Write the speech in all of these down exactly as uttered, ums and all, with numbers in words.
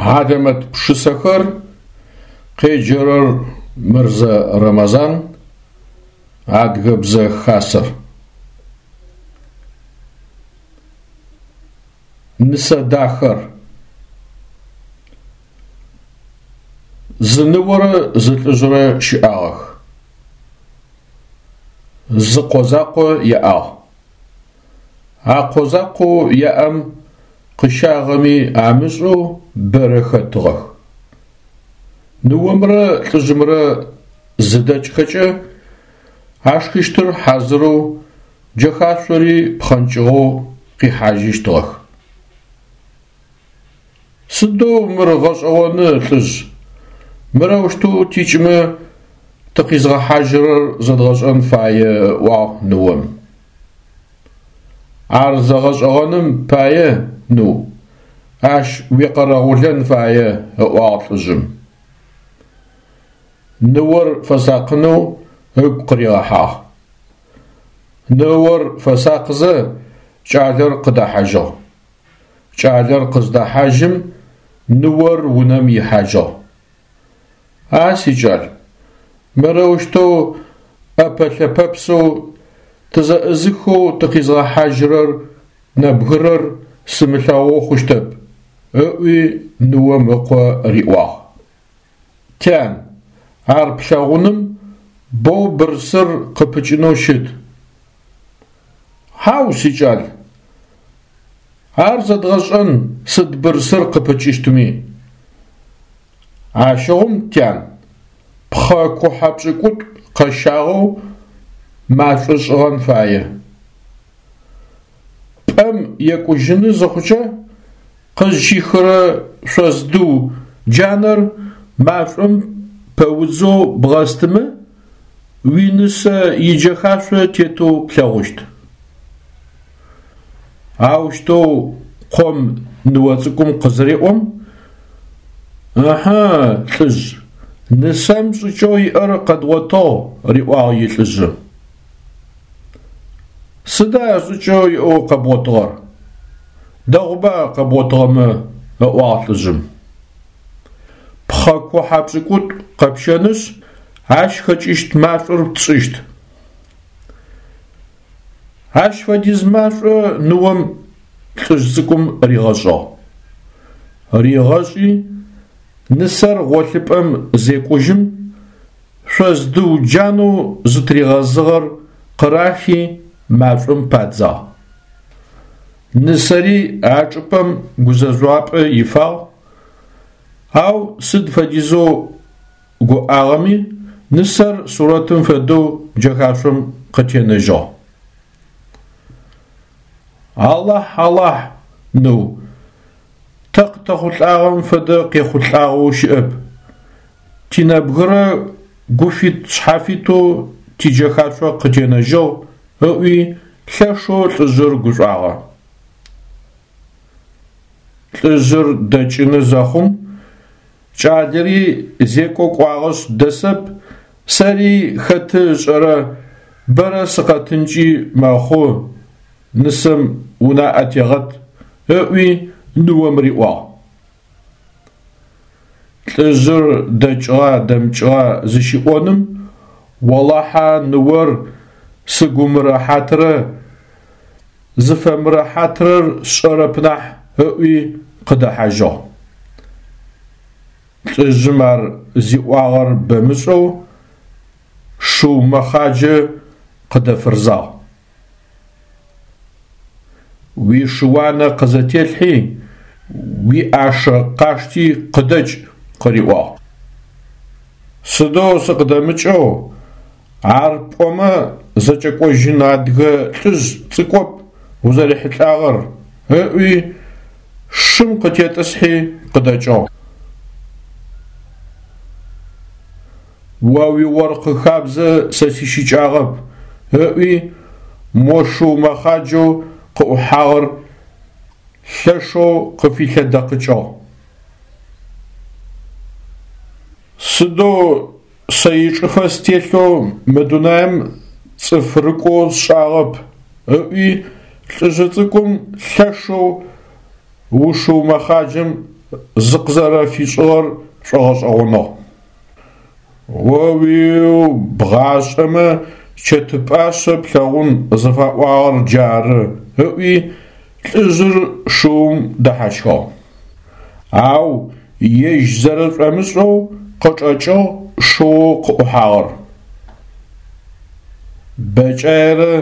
Хьалэмэт пшысэхэр къеджэрэр Мырзэ Рэмэзан, Адыгэбзэ Хасэр. Нысэдахэр. Зы ныорэ зы лӏыжърэ щыӏагъэх. Зы къо закъо яӏагъ. А къо закъоу яӏэм къыщагъэми амышӏэу бэрэ хэтыгъэх. Ныомрэ лӏыжъымрэ зыдэкӏхэкӏэ ашхыщтыр хьазырэу, джэхашъори пхъэнкӏыгъэу къихьажьыщтыгъэх. Сыдэу мыр гъэшӏэгъоны, лӏыжъ, мырэущтэу тикӏымэ тыкъизгъэхьажьырэр зэдгъэшӏэн фае, ыӏуагъ ныом. Ар зэгъэшӏэгъэным пае, ныу, ащ уекъэрэгъулэн фае, ыӏуагъ лӏыжъым. Ныор фэсакъынэу ыгу къыригъэхьагъ. Ныор фэсакъызэ кӏалэр къыдэхьажьыгъ. Кӏалэр къыздэхьажьым ныор унэм ихьажьыгъ. А сикӏал, мырэущтэу ӏэпэ-лъэпэпсэу тызэӏызыхэу тыкъизгъэхьажьырэр нэбгырэр сымылъэгъу хъущтэп, ыӏуи ныом ыкъо риӏуагъ. Тян, ар плъэгъуным боу бырсыр къыпыкӏынэу щыт. Хьау, сикӏал, ар зэдгъэшӏэн сыд бырсыр къыпыкӏыщтми. Ащыгъум, тян, пхъэ кухьэ пшӏыкӏутӏу къэщагъэу машӏо шӏыгъэн фае. Пӏэм екӏужьыны зыхъукӏэ къызщихырэ шъоздыу джанэр машӏом пэудзэу бгъэстымэ, уинысэ иджэхашъо тетэу плъэгъущт. Аущтэу къом ныо цӏыкӏум къызыреӏом: «Ыхьы, лӏыжъ, нысэм шӏыкӏэу иӏэр къэдгъотыгъ», – риӏуагъ илӏыжъы. Сыда шӏыкӏэу иӏэу къэбгъотыгъэр? Дэгъуба къэбгъотыгъэмэ, – ыӏуагъ лӏыжъым. Пхъэ кухьэ пшӏыкӏутӏу къэпщэнышъ, ащ хэкӏыщт машӏор тшӏыщт. Ащ фэдиз машӏо ныом лӏыжъ цӏыкӏум ригъэшӏыгъ. Ригъэшӏи, нысэр гъолъыпӏэм зекӏужьым, шъоздыу джанэу зытыригъэзыгъэр къырахи машӏом падзагъ. Нысэри а чӏыпӏэм гузэжъуапӏэ ифагъ, ау сыд фэдизэу гуӏагъэми нысэр сурэтым фэдэу джэхашъом къытенэжьыгъ. Алахь, Алахь, ныу, тэ къытэхъулӏагъэм фэдэ къехъулӏагъэу щыӏэп. Тинэбгырэ гуфит-шъхьафитэу тиджэхашъо къытенэжьыгъ, ыӏуи лъэшэу лӏыжъыр гушӏуагъэ. Лӏыжъыр дэкӏыны зэхъум кӏалэри зекӏо кӏуагъэшъ дэсэп, сэри хэты ышӏэрэ бэрэ сыкъэтынкӏи мэхъу, нысэм унаӏэ тегъэт, ыӏуи ныом риӏуагъ. Лӏыжъыр дэкӏыгъа дэмыкӏыгъа зыщиӏоным олахьэ ныор сыгу мырэхьатрэ зыфэмырэхьатрэр сшӏэрэп нахь ыӏуи къыдэхьажьыгъ. Лӏыжъым ар зиӏуагъэр бэмышӏэу шыу мэхъаджэ къыдэфырзагъ. Уишыуанэ къызэтелъхьи, уиӏашэ къашти къыдэкӏ, къыриӏуагъ. Сыдэу сыкъыдэмыкӏэу, ар пӏомэ зэкӏэкӏожьын адыгэ лӏыжъ цӏыкӏоп узэрихьылӏагъэр, ыӏуи шым къытетӏысхьи къыдэкӏыгъ. О уиоркъы хабзэ сэ сищыкӏагъэп, ыӏуи мо шыу мэхъаджэу къыӏухьагъэр лъэшэу къыфилъэдэкъыкӏыгъ. Сыдэу сэ ичӏыфэ стелъэу мы дунаим цӏыф рыкӏоу сшӏагъэп, ыӏуи лӏыжъы цӏыкӏум лъэшэу ушыу мэхъаджэм зыкъызэрэфишӏыгъэр шӏогъэшӏэгъоныгъ. О-уиу, бгъашӏэмэ чэты пӏашъэ плъэгъун зыфаӏуагъэр джары, ыӏуи лӏыжъыр шыум дэхьащхыгъ. Ау ежь зэрэшӏомышӏэу къычӏэкӏыгъ шыоу къыӏухьагъэр. Бэкӏаерэ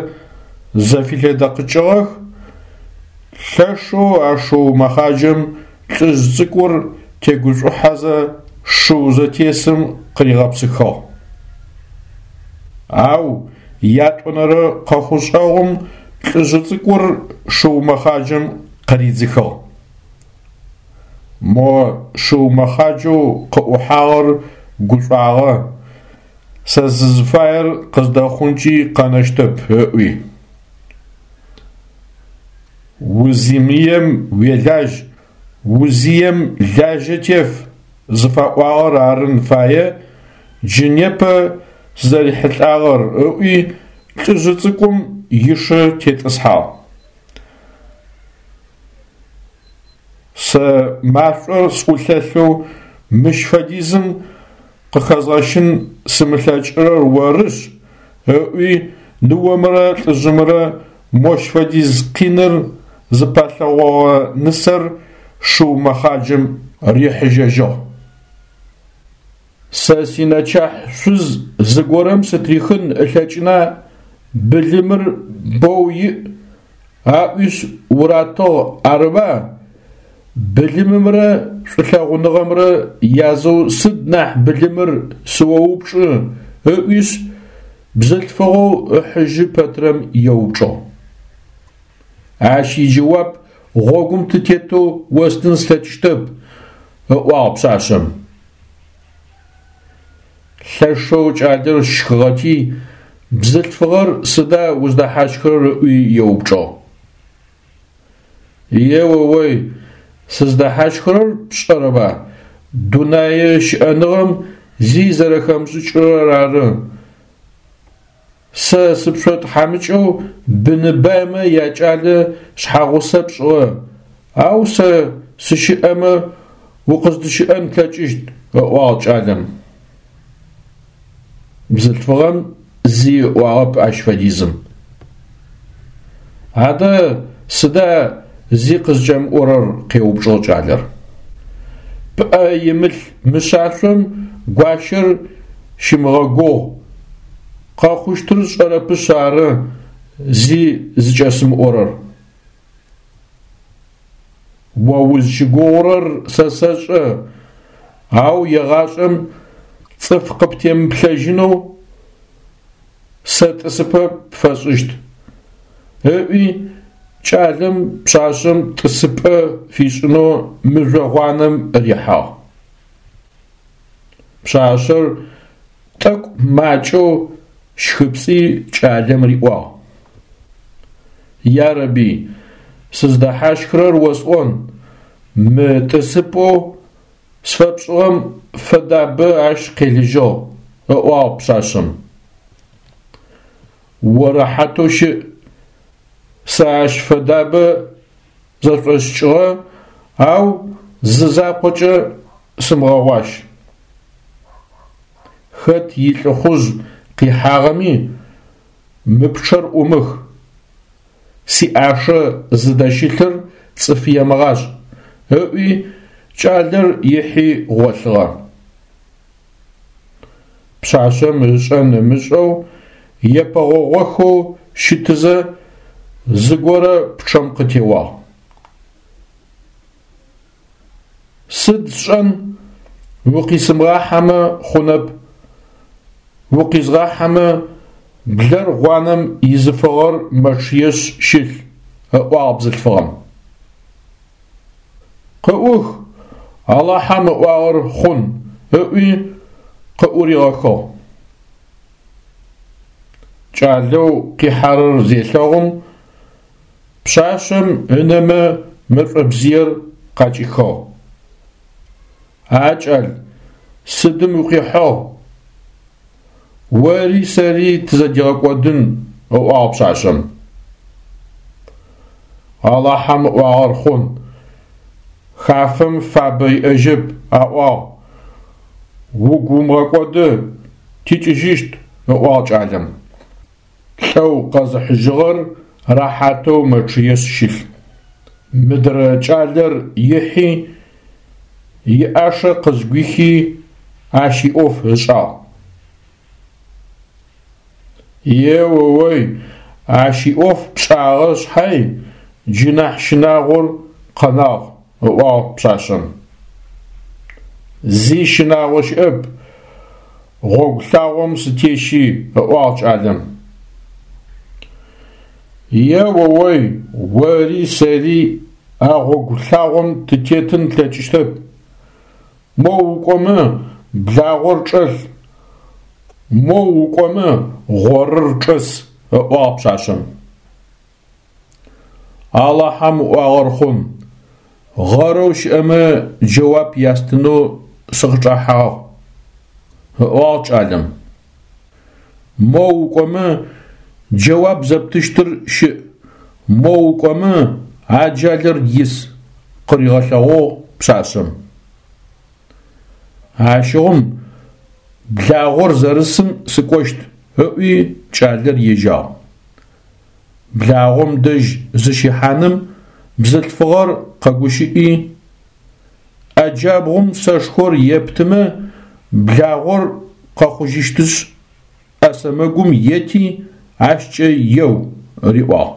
зэфилъэдэкъыкӏыгъэх, лъэшэу а шыу мэхъаджэм лӏыжъ цӏыкӏур тегушӏухьэзэ шыу зэтесым къыригъэпсыхыгъ. Ау ятӏонэрэ къэхъушӏэгъум лӏыжъы цӏыкӏур шыу мэхъаджэм къыридзыхыгъ. Мо шыу мэхъаджэу къыӏухьагъэр гушӏуагъэ, сэ сызыфаер къыздэхъункӏи къэнэщтэп ыӏуи. Узимыем уелажь, узием лажьэ теф зыфаӏуагъэр арын фае джы непэ сызэрихьылӏагъэр, ыӏуи лӏыжъы цӏыкӏум ишы тетӏысхьагъ. Сэ машӏор сӏулъэлъэу мыщ фэдизым къыхэзгъэщын сымылъэкӏырэр орышъ, ыӏуи ныомрэ лӏыжъымрэ мощ фэдиз къиныр зыпалъэгъогъэ нысэр шыу мэхъаджэм рихьыжьэжьыгъ. Сэ синэчахь шъуз зыгорэм сытрихын ылъэкӏына, былымыр боу иӏ, аӏуишъ уратыгъ арыба, былымымрэ шӏулъэгъуныгъэмрэ язэу сыд нахь былымыр сыоупчӏы, ыӏуишъ бзылъфыгъэу ыхьыжьы пэтрэм еупчӏыгъ. Ащ иджэуап гъогум тытетэу остын слъэкӏыщтэп, ыӏуагъ пшъашъэм. Лъэшэу кӏалэр щхыгъэти, бзылъфыгъэр сыда уздэхьащхырэр ыӏуи еупчӏыгъ. Еоой, сыздэхьащхырэр пшӏэрэба, дунэе щыӏэныгъэм зи зэрэхэмышӏыкӏырэр ары. Сэ сыпшӏотхьамыкӏэу быны баймэ якӏалэ шъхьагъусэ пшӏыгъэ, ау сэ сыщыӏэмэ укъыздыщыӏэн плъэкӏыщт, ыӏуагъ кӏалэм. Бзылъфыгъэм зи ыӏуагъэп ащ фэдизым. Адэ сыда зи къызкӏэмыӏорэр? Къеупчӏыгъ кӏалэр. Пӏэ имылъ мышъашъом гуащэр щымыгъэгугъ, къэхъущтыр сшӏэрэпышъ ары зи зыкӏэсымыӏорэр. О узщыгугъурэр сэ сэшӏэ, ау егъашӏэм цӏыф къыптемыплъэжьынэу сэ тӏысыпӏэ пфэсшӏыщт, ыӏуи кӏалэм пшъашъэм тӏысыпӏэ фишӏынэу мыжъо гъуанэм рихьагъ. Пшъашъэр тӏэкӏу макӏэу щхыпцӏи кӏалэм риӏуагъ: Ярэби, сыздэхьащхырэр осӏон, мы тӏысыпӏэу сфэпшӏыгъэм фэдабэ ащ къелыжьыгъ, ыӏуагъ пшъашъэм. О рэхьатэу щыӏ, сэ ащ фэдабэ зэшӏосыкӏыгъэ, ау зы закъокӏэ сымыгъэгъуащ. Хэт илӏыхъужъ къихьагъэми, мы пчъэр ӏумых, сиӏашэ зыдэщылъыр цӏыф емыгъашӏ, ыӏуи кӏалэр ихьи гъолъыгъэ. Пшъашъэм ышӏэн ымышӏэу епэгъогъохэу щытызэ зыгорэ пчъэм къытеуагъ. Сыд сшӏэн, укъисымыгъахьэмэ хъунэп, укъизгъахьэмэ блэр гъуанэм изыфыгъэр мэчъыешъ щылъ, ыӏуагъ бзылъфыгъэм. Къыӏух, Алахьэм ыӏуагъэр хъун, ыӏуи къыӏуригъэхыгъ. Кӏалэу къихьэрэр зелъэгъум, пшъашъэм ынэмэ мэшӏобзыер къакӏихыгъ. А кӏал, сыдым укъихьыгъ? Ори сэри тызэдигъэкӏодын, ыӏуагъ пшъашъэм. Алахьэм ыӏуагъэр хъун, Хафэм фабэ иӏэжьэп, аӏуагъ. Угу умыгъэкӏоды, тикӏыжьыщт, ыӏуагъ кӏалэм. Лӏэу къэзыхьыжьыгъэр рэхьатэу мэчъыешъ щылъ. Мыдрэ кӏалэр ихьи, иӏашэ къызгуихи ащ иӏоф ышӏагъ. Е-о-ой, ащ иӏоф пшӏагъэ шъхьай джы нахь щынагъор къэнагъ, ыӏуагъ пшъашъэм. Зи щынагъо щыӏэп, гъогу лъагъом сытещи, ыӏуагъ кӏалэм. Е-о-ой, ори сэри а гъогу лъагъом тытетын тлъэкӏыщтэп. Моу укӏомэ благъор чӏэлъ, моу укӏомэ гъорыр чӏэс, ыӏуагъ пшъашъэм. Алахьэм ыӏуагъэр хъун, гъэрэу щыӏэмэ джэуап ястынэу сыкъычӏэхьагъ, ыӏуагъ кӏалэм. Моу укӏомэ джэуап зэптыщтыр щыӏ, моу укӏомэ аджалыр ис, къыригъэлъэгъугъ пшъашъэм. Ащыгъум благъор зэрысым сыкӏощт, ыӏуи кӏалэр ежьагъ. Благъом дэжь зыщехьаным бзылъфыгъэр къэгущыӏи, ӏэ джабгъум сэшхор ептымэ благъор къэхъужьыщтышъ, ӏэ сэмэгум ети ащкӏэ еу, риӏуагъ.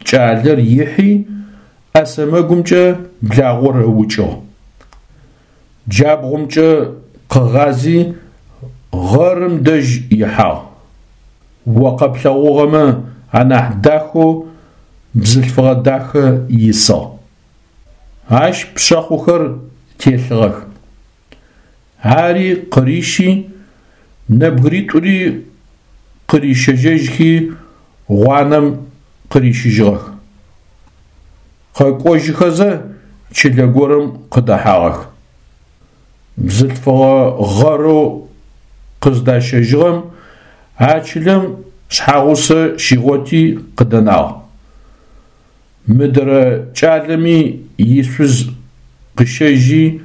Кӏалэр ихьи ӏэ сэмэгумкӏэ благъор ыукӏыгъ. Джабгъумкӏэ къыгъази гъэрым дэжь ихьагъ. О къэплъэгъугъэмэ анахь дахэу бзылъфыгъэ дахэ исыгъ. Ащ пшъэхъухэр телъыгъэх. Ари къырищи, нэбгыритӏури къырищэжьэжьхи гъуанэм къырищыжьыгъэх. Къэкӏожьыхэзэ чылэ горэм къыдэхьагъэх. Бзылъфыгъэ гъэрэу къыздащэжьыгъэм а чылэм шъхьагъусэ щигъоти къыдэнагъ. Мыдрэ кӏалэми ишъуз къыщэжьи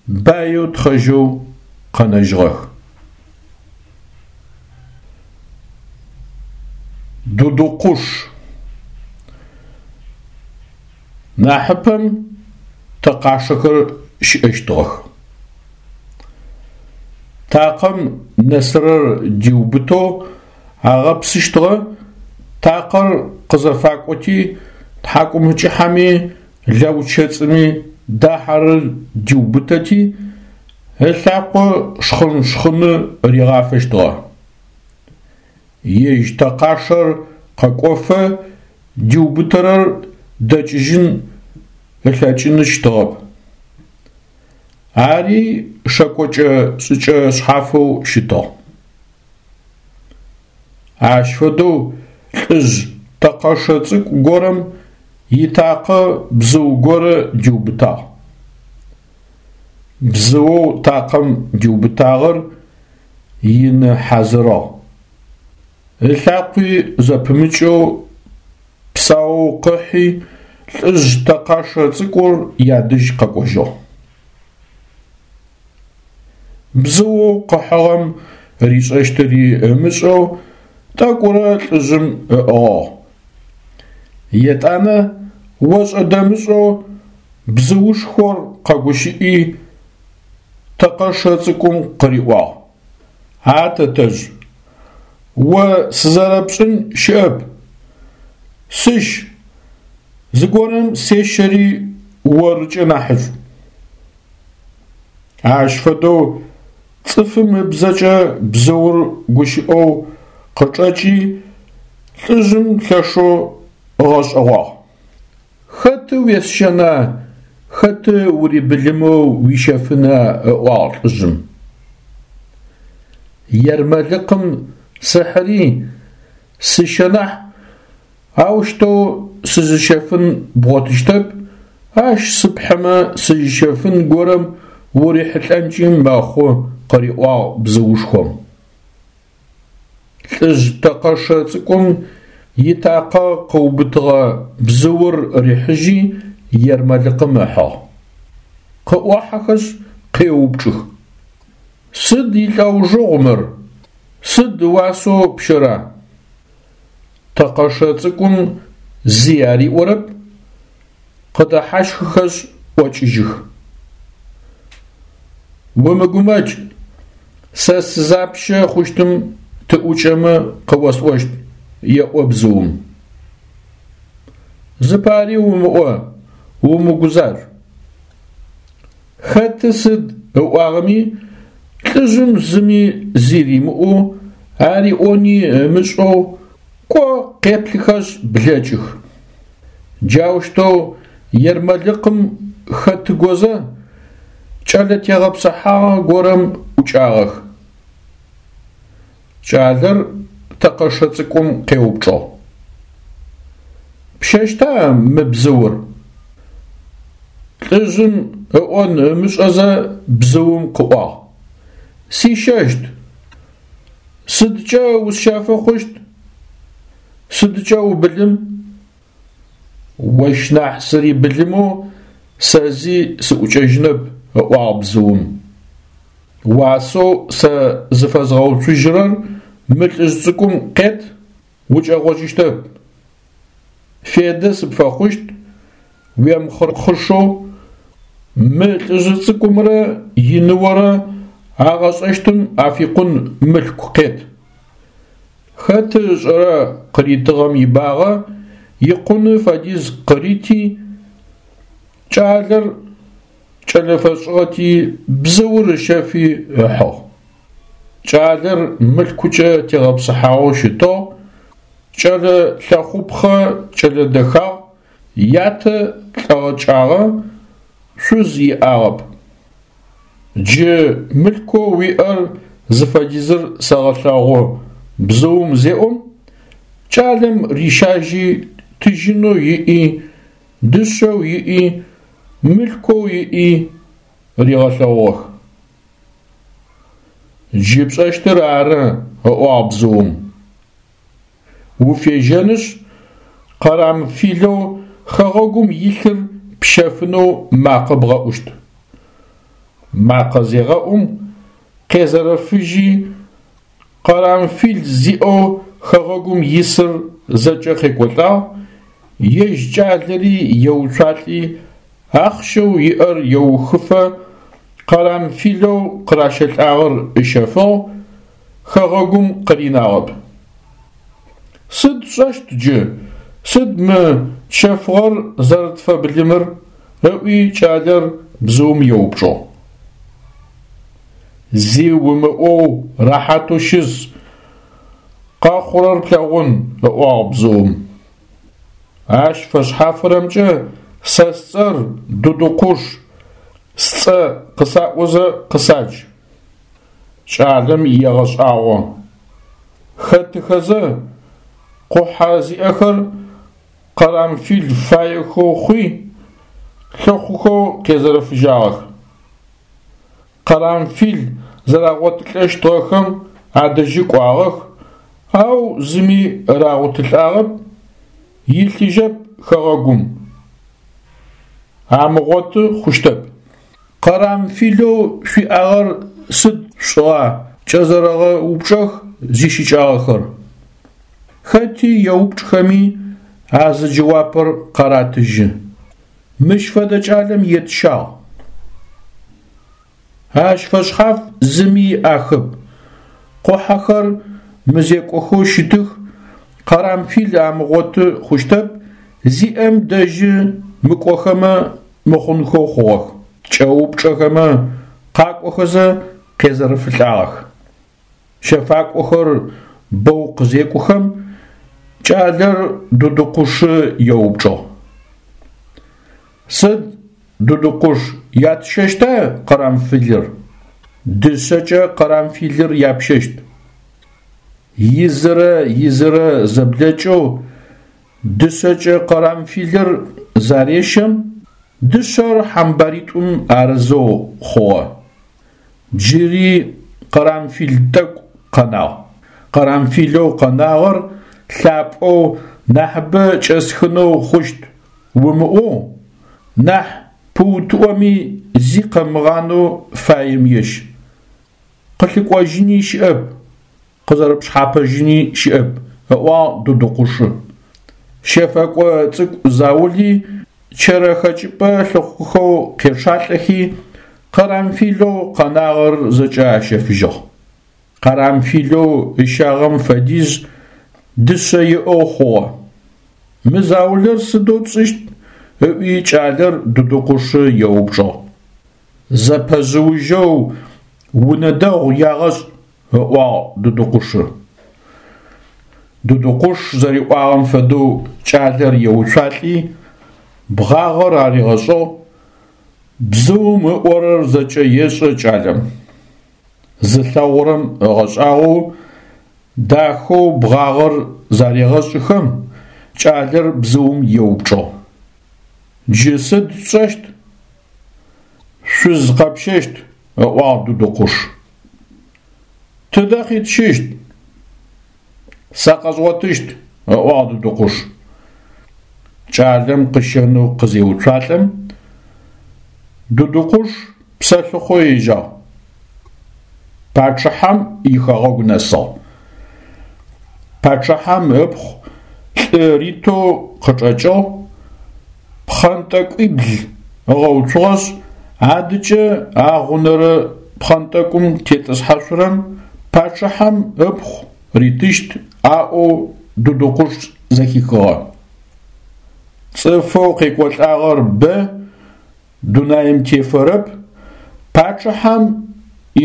баеу тхъэжьэу къэнэжьыгъэх. Дудукъуш. Нахьыпэм тэкъашэхэр щыӏэщтыгъэх. Такъэм нэсырэр диубытэу агъэпсыщтыгъэ, такъэр къызэфакӏоти тхьакӏумкӏыхьэми лаучэцӏыми дахьэрэр диубытэти ылъакъо шхъын-шхъыны ригъафэщтыгъэ. Ежь тэкъашэр къэкӏофэ диубытэрэр дэкӏыжьын ылъэкӏыныщтыгъэп. Ари шэкӏокӏэ шӏыкӏэ шъхьафэу щытыгъ. Ащ фэдэу лӏыжъ тэкъэшэ цӏыкӏу горэм итакъэ бзыу горэ диубытагъ. Бзыоу такъэм диубытагъэр ины хьазырыгъ. Ылъакъуи зэпымыкӏэу псаоу къыхьи лӏыжъ тэкъашэ цӏыкӏур ядэжь къэкӏожьыгъ. Бзыоу къыхьыгъэм ришӏэщтыри ымышӏэу тӏэкӏурэ лӏыжъым ыӏыгъыгъ. Етӏанэ ошӏэ-дэмышӏэу бзыушхор къэгущыӏи тэкъэшэ цӏыкӏум къыриӏуагъ: «А тэтэжъ, о сызэрэпшӏын щыӏэп. Сыщ, зыгорэм сещэри орыкӏэ нахьышӏу». Ащ фэдэу цӏыфым ыбзэкӏэ бзыур гущыӏэу къычӏэкӏи лӏыжъым лъэшэу ыгъэшӏэгъуагъ. Хэты уесщэна, хэты урибылымэу уищэфына, ыӏуагъ лӏыжъым. Ермэлыкъым сыхьыри сыщэ нахь, аущтэу сызыщэфын бгъотыщтэп, ащ сыпхьымэ сызыщэфын горэм урихьылӏэнкӏи мэхъу, къыриӏуагъ бзыушхом. Лӏыжъ тэкъэшэ цӏыкӏум итакъэ къыубытыгъэ бзыур рихьыжьи ермэлыкъым ыхьыгъ. Къыӏохьэхэшъ къеупчӏых: Сыд илӏэужыгъу мыр, сыд ыуасэу пщэра? Тэкъэшэ цӏыкӏум зи ариӏорэп, къыдэхьащхыхэшъ ӏокӏыжьых. Умыгумэкӏ, сэ сызапщэ хъущтым тыӏукӏэмэ къыосӏощт, еӏо бзыум. Зыпари умыӏо, умыгузажъу. Хэты сыд ыӏуагъэми лӏыжъым зыми зи римыӏоу, ариӏони ымышӏэу кӏо къеплъыхэшъ блэкӏых. Джаущтэу ермэлыкъым хэтыгозэ кӏэлэ тегъэпсыхьагъэ горэм ӏукӏагъэх. Кӏалэр тэкъэшэ цӏыкӏум къеупчӏыгъ: Пщэщта мы бзыур? Лӏыжъым ыӏон ымышӏэзэ бзыум къыӏуагъ: Сищэщт. Сыдкӏэ усщэфы хъущт? Сыдкӏэ убылым? Ощ нахь сырибылымэу сэ зи сыӏукӏэжьынэп, ыӏуагъ бзыум. Уасэу сэ зыфэзгъэуцужьырэр мы лӏыжъ цӏыкӏум къет, укӏэгъожьыщтэп. Федэ сыпфэхъущт, уемыхъырэхъышэу мы лӏыжъ цӏыкӏумрэ иныорэ агъэшӏэщтым афикъун мылъку къет. Хэты ышӏэрэ къыритыгъэм ибагъэ икъуны фэдиз къырити, кӏалэр кӏэлэ фэшӏыгъэти бзыур ыщэфи ыхьыгъ. Кӏалэр мылъкукӏэ тегъэпсыхьагъэу щытыгъ, кӏэлэ лъэхъупхъэ кӏэлэ дэхагъ, ятэ лӏэгъэкӏагъэ, шъуз иӏагъэп. Джы мылъкоу уиӏэр зыфэдизыр сэгъэлъэгъу бзыум зеӏом, кӏалэм рищажьи тыжьынэу иӏи, дышъэу иӏи, мылъкоу иӏи ригъэлъэгъугъэх. Джы пшӏэщтыр ары, ыӏуагъ бзыум. Уфежьэнышъ, къэрамфилэу хэгъэгум илъыр пщэфынэу макъэ бгъэӏущт. Макъэ зегъэӏум, къезэрэфыжьи, къэрамфил зиӏэу хэгъэгум исыр зэкӏэ къекӏолӏагъ, ежь кӏалэри еуцуалӏи, ахъщэу иӏэр еухыфэ къэрамфилэу къыращэлӏагъэр ыщэфыгъ, хэгъэгум къыринагъэп. Сыд тшӏэщт джы, сыд мы тщэфыгъэр зэрэтфэбылымыр? Ыӏуи кӏалэр бзыум еупчӏыгъ. Зи умыӏоу рэхьатэу щыс, къэхъурэр плъэгъун, ыӏуагъ бзыум. Ащ фэшъхьафырэмкӏэ сэ сцӏэр Дудукъуш, сцӏэ къысаӏозэ къысадж. Кӏалэм егъэшӏагъо. Хэтыхэзэ къухьэ зиӏэхэр къэрамфил фаехэу хъуи, лъыхъухэу къезэрэфыжьагъэх. Къэрамфил зэрагъотылӏэщтыгъэхэм адэжьы кӏуагъэх, ау зыми рагъотылӏагъэп, илъыжьэп хэгъэгум. Амыгъоты хъущтэп. Къэрамфилэу шъуиӏагъэр сыд шъушӏыгъа? Кӏэзэрэгъэупчӏэх зищыкӏагъэхэр. Хэти еупчӏхэми а зы джэуапыр къаратыжьы: Мыщ фэдэ кӏалэм етщагъ. Ащ фэшъхьаф зыми иӏахэп. Къухьэхэр мызекӏохэу щытых, къэрамфил амыгъоты хъущтэп, зиӏэм дэжьы мыкӏохэмэ мыхъунхэу хъугъэх. Кӏэупчӏэхэмэ къакӏохэзэ къезэрэфылӏагъэх. Щэфакӏохэр бэу къызекӏухэм, кӏалэр Дудукъушы еупчӏыгъ: Сыд, Дудукъуш, ятщэщта къэрамфилыр? Дышъэкӏэ къэрамфилыр япщэщт. Изырэ изырэ зэблэкӏэу дышъэкӏэ къэрамфилыр зарещэм, дышъэр хьамбаритӏум арызэу хъугъэ. Джыри къэрамфил тӏэкӏу къэнагъ. Къэрамфилэу къэнагъэр лъапӏэу нахьыбэ кӏэсхынэу хъущт умыӏоу, Нахь пыутыӏоми зи къэмыгъанэу фаем ещ. Къылъыкӏожьыни щыӏэп, къызэрэпшъхьапэжьыни щыӏэп, ыӏуагъ Дудукъушы. Щэфэкӏо цӏыкӏу заули чэрэ хэкӏыпӏэ лъыхъухэу къечъалӏэхи, къэрамфилэу къэнагъэр зэкӏэ ащэфыжьыгъ. Къэрамфилэу ыщагъэм фэдиз дышъэ иӏэу хъугъэ. Мы заулэр сыдэу тшӏыщт? Ыӏуи кӏалэр Дудукъушы еупчӏыгъ. Зэпэжъыужьэу унэ дэгъу ягъэшӏ, ыӏуагъ Дудукъушы. Дудукъуш зэриӏуагъэм фэдэу кӏалэр еуцуалӏи, бгъагъэр аригъэшӏыгъ. Бзыум ыӏорэр зэкӏэ ешӏэ кӏалэм. Зылъэгъурэм ыгъэшӏагъоу дахэу бгъагъэр зарегъэшӏыхэм, кӏалэр бзыум еупчӏыгъ: Джы сыд тшӏэщт? Шъуз къэпщэщт, ыӏуагъ Дудукъуш. Тыдэ къитщыщт? Сэ къэзгъотыщт, ыӏуагъ Дудукъуш. Кӏалэм къыщэнэу къызеуцуалӏэм, Дудукъуш псэлъыхъо ежьагъ. Пачъыхьэм ихэгъэгу нэсыгъ. Пачъыхьэм ыпхъу лӏы ритэу къычӏэкӏыгъ, пхъэнтӏэкӏуибл ыгъэуцугъэшъ, адыкӏэ агъунэрэ пхъэнтӏэкӏум тетӏысхьашъурэм пачъыхьэм ыпхъу ритыщт аӏоу Дудукъуш зэхихыгъэ. Цӏыфэу къекӏолӏагъэр бэ, дунаим тефэрэп, пачъыхьэм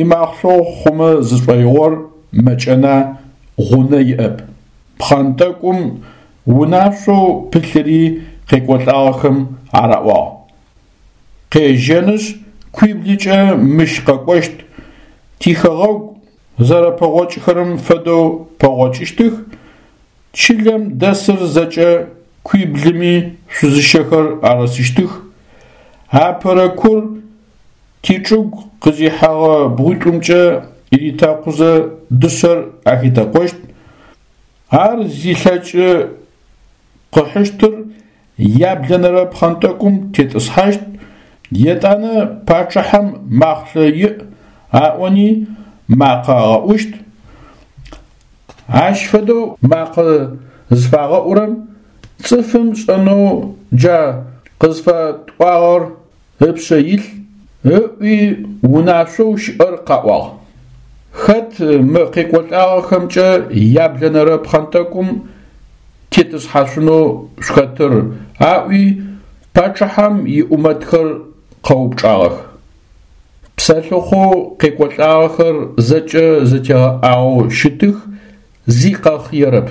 имахълъэу хъумэ зышӏоигъор мэкӏэна, гъунэ иӏэп. Пхъэнтӏэкӏум унашъоу пылъыри къекӏолӏагъэхэм араӏуагъ. Къежьэнышъ, куиблыкӏэ мыщ къэкӏощт, тихэгъэгу зэрэпэгъокӏхэрэм фэдэу пэгъокӏыщтых, чылэм дэсыр зэкӏэ куиблыми шъузыщэхэр арысыщтых, апэрэ кур тичӏыгу къызихьэгъэ бгъуитӏумкӏэ ритэкъузэ дышъэр ахитэкъощт, ар зилъэкӏы къыхьыщтыр яблэнэрэ пхъэнтӏэкӏум тетӏысхьащт, етӏанэ пачъыхьэм махълъэ иӏ аӏони макъэ агъэӏущт. Ащ фэдэу макъэ зыфагъэӏурэм цӏыфым шӏэнэу джа къызфэтӏуагъэр ыпшъэ илъ, ыӏуи унашъоу щыӏэр къаӏуагъ. Хэт мы къекӏолӏагъэхэмкӏэ яблэнэрэ пхъэнтӏэкӏум тетӏысхьашъунэу шъухэтыр аӏуи пачъыхьэм иӏумэтхэр къэупчӏагъэх. Псэлъыхъоу къекӏолӏагъэхэр зэкӏэ зэтегъэӏагъэу щытых, зи къэхъыерэп.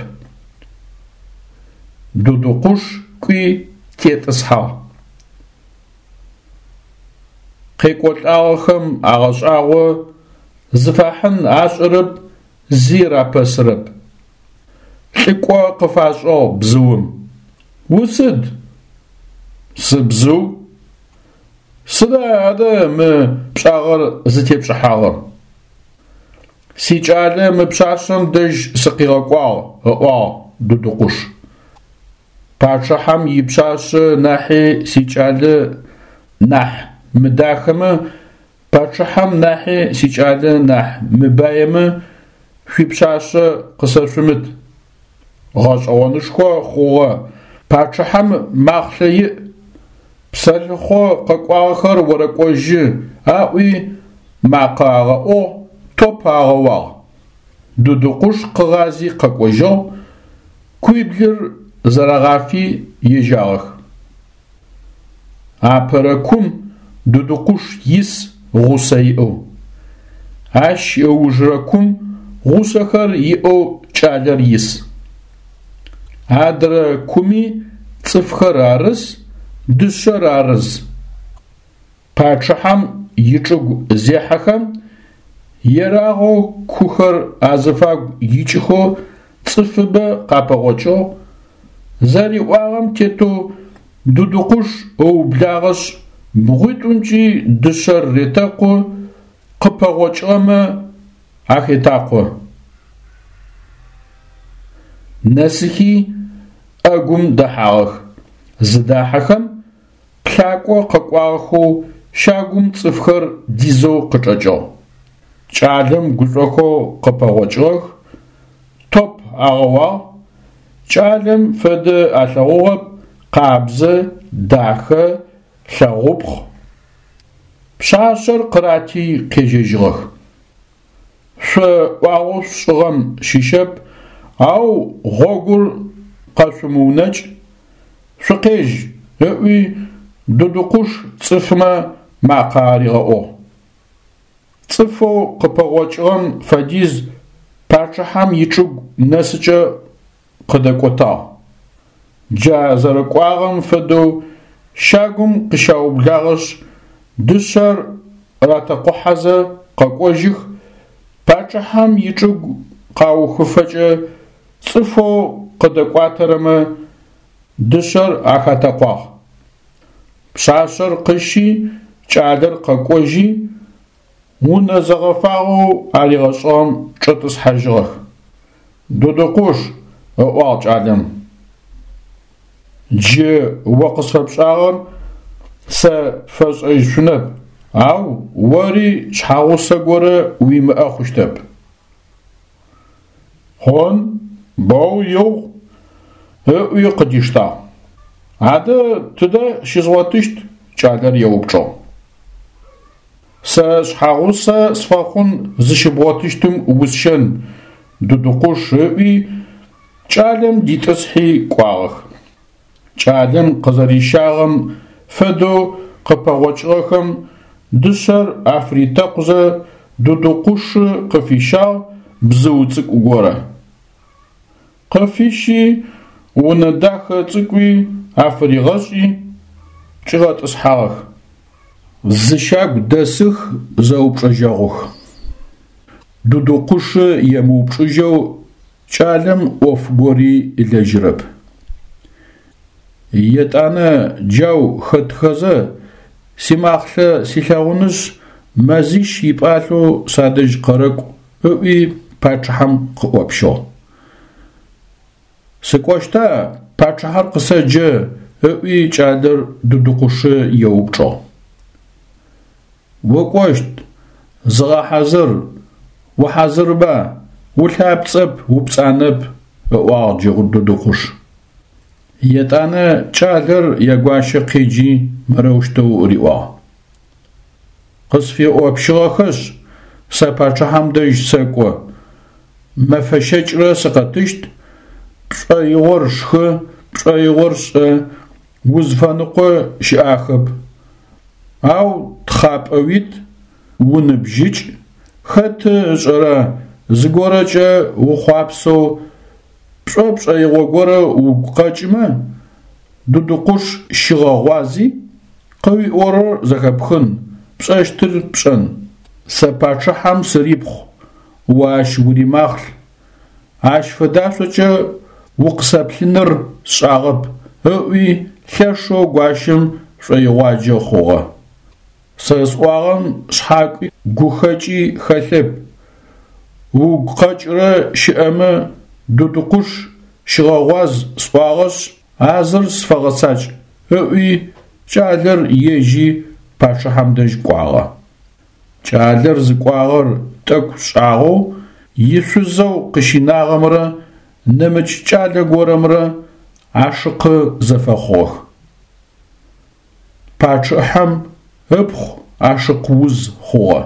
Дудукъуш кӏуи тетӏысхьагъ. Къекӏолӏагъэхэм агъэшӏагъо, зыфахьын ашӏэрэп, зи рапэсырэп. Лӏыкӏо къыфашӏыгъ бзыум. Усыд? Сыбзыу. Сыда адэ мы пшӏагъэр зытепшӏыхьагъэр? Сикӏалэ мы пшъашъэм дэжь сыкъигъэкӏуагъ, ыӏуагъ Дудукъуш. Пачъыхьэм ипшъашъэ нахьи сикӏалэ нахь мыдахэмэ, пачъыхьэм нахьи сикӏалэ нахь мыбаемэ шъуипшъашъэ къысэшъумыт. Гъэшӏэгъонышхо хъугъэ, пачъыхьэм махълъэ иӏ, псэлъыхъо къэкӏуагъэхэр орэкӏожьы аӏуи макъэ агъэӏугъ, топ агъэуагъ. Дудукъуш къыгъази къэкӏожьыгъ, куиблыр зэрагъафи ежьагъэх. Апэрэ кум Дудукъуш ис гъусэ иӏэу. Ащ ыужырэ кум гъусэхэр иӏэу кӏалэр ис. Адрэ куми цӏыфхэр арыс, дышъэр арыз. Пачъыхьэм ичӏыгу зехьэхэм, ерагъэу кухэр азыфагу икӏыхэу цӏыфыбэ къапэгъокӏыгъ. Зэриӏуагъэм тетэу Дудукъуш ыублагъэшъ, бгъуитӏумкӏи дышъэр ретэкъу, къыпэгъокӏыгъэмэ ахетакъо. Нэсыхи ӏэгум дэхьагъэх. Зыдахьэхэм Плъакӏо къэкӏуагъэхэу щагум цӏыфхэр дизэу къычӏэкӏыгъ. Кӏалэм гушӏохэу къыпэгъокӏыгъэх, топ агъэуагъ, кӏалэм фэдэ алъэгъугъэп, къабзэ, дахэ, лъэгъупхъ. Пшъашъэр къырати къежьэжьыгъэх. Шъо ӏуагъэу шъушӏыгъэм щыщэп, ау гъогур къэшъумыунэкӏ, шъукъежь, ыӏуи Дудукъуш цӏыфмэ макъэ аригъэӏугъ. Цӏыфэу къыпэгъокӏыгъэм фэдиз пачъыхьэм ичӏыгу нэсыкӏэ къыдэкӏотагъ. Джа зэрэкӏуагъэм фэдэу щагум къыщаублагъэшъ дышъэр ратэкъухьэзэ къэкӏожьых, пачъыхьэм ичӏыгу къаухыфэкӏэ цӏыфэу къыдэкӏуатэрэмэ дышъэр ахатэкъуагъ. Пшъашъэр къыщи кӏалэр къэкӏожьи унэ зэгъэфагъэу аригъэшӏыгъэм чӏэтӏысхьажьыгъэх. Дудукъуш, ыӏуагъ кӏалэм, джы о къысфэпшӏагъэр сэ пфэшӏэжьышъунэп, ау ори шъхьэгъусэ горэ уимыӏэ хъущтэп. Хъун, боу игъу, ыӏуи къыдиштагъ. Адэ тыдэ щызгъотыщт? Кӏалэр еупчӏыгъ. Сэ шъхьэгъусэ сфэхъун зыщыбгъотыщтым усщэн, Дудукъуш ыӏуи кӏалэм дитӏысхьи кӏуагъэх. Кӏалэм къызэрищагъэм фэдэу къыпэгъокӏыгъэхэм дышъэр афритэкъузэ Дудукъушы къыфищагъ бзыу цӏыкӏу горэ. Къыфищи унэ дахэ цӏыкӏуи афыригъэшӏи чӏигъэтӏысхьагъэх. Зы щагу дэсых зэупчӏэжьэгъух. Дудукъушы емыупчӏыжьэу кӏалэм ӏоф гори ылэжьырэп. Етӏанэ джау хэтхэзэ симахълъэ силъэгъунышъ мэзищ ипӏалъэу садэжь къэрэкӏу ыӏуи пачъыхьэм къыӏопщыгъ. Сыкӏощта, пачъыхьэр къысэджэ, ыӏуи кӏалэр Дудукъушы еупчӏыгъ. Укӏощт, зыгъэхьазыр, ухьазырба, улъапцӏэп, упцӏанэп, ыӏуагъ джы Дудукъуш. Етӏанэ кӏалэр ягуащэ къеджи мырэущтэу риӏуагъ: Къысфеӏопщыгъэхэшъ, сэ пачъыхьэм дэжь сэкӏо, мэфэ щэкӏрэ сыкъэтыщт, пшӏоигъор шхы, пшӏоигъор шӏэ, узфэныкъо щыӏахэп. Ау тхъапӏэ уит, уныбжьыкӏ, хэты ышӏэра зыгорэкӏэ ухъуапсэу пшӏо пшӏоигъо горэ угу къэкӏымэ, Дудукъуш щыгъэгъуази, къыуиӏорэр зэхэпхын, пшӏэщтыр пшӏэн. Сэ пачъыхьэм сырипхъу, о ащ уримахълъ. Ащ фэдашъокӏэ укъысэплъыныр сшӏагъэп, ыӏуи лъэшэу гуащэм шӏоигъуаджэ хъугъэ. Сэ сӏуагъэм шъхьакӏуи гухэкӏи хэлъэп. Угу къэкӏырэ щыӏэмэ Дудукъуш щыгъэгъуаз сӏуагъэшъ, а зыр сфэгъэцакӏ, ыӏуи кӏалэр ежьи пачъыхьэм дэжь кӏуагъэ. Кӏалэр зыкӏуагъэр тӏэкӏу шӏагъэу ишъузэу къыщинагъэмрэ нэмыкӏ кӏалэ горэмрэ ашыкъы зэфэхъугъэх. Пачъыхьэм ыпхъу ашыкъ уз хъугъэ.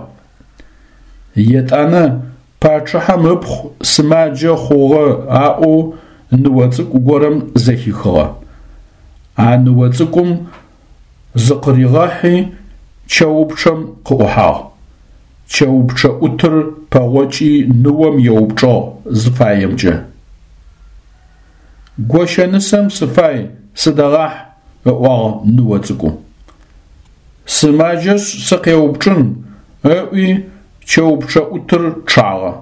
Етӏанэ пачъыхьэм ыпхъу сымаджэ хъугъэ аӏоу ныо цӏыкӏу горэм зэхихыгъэ. А ныо цӏыкӏум зыкъыригъэхьи чэупчъэм къыӏухьагъ. Чэупчъэ ӏутыр пэгъокӏи ныом еупчӏыгъ зыфаемкӏэ. Гощэнысэм сыфай, сыдэгъахь, ыӏуагъ ныо цӏыкӏум. Сымаджэшъ сыкъеупчӏын, ыӏуи чэупчъэ ӏутыр чъагъэ.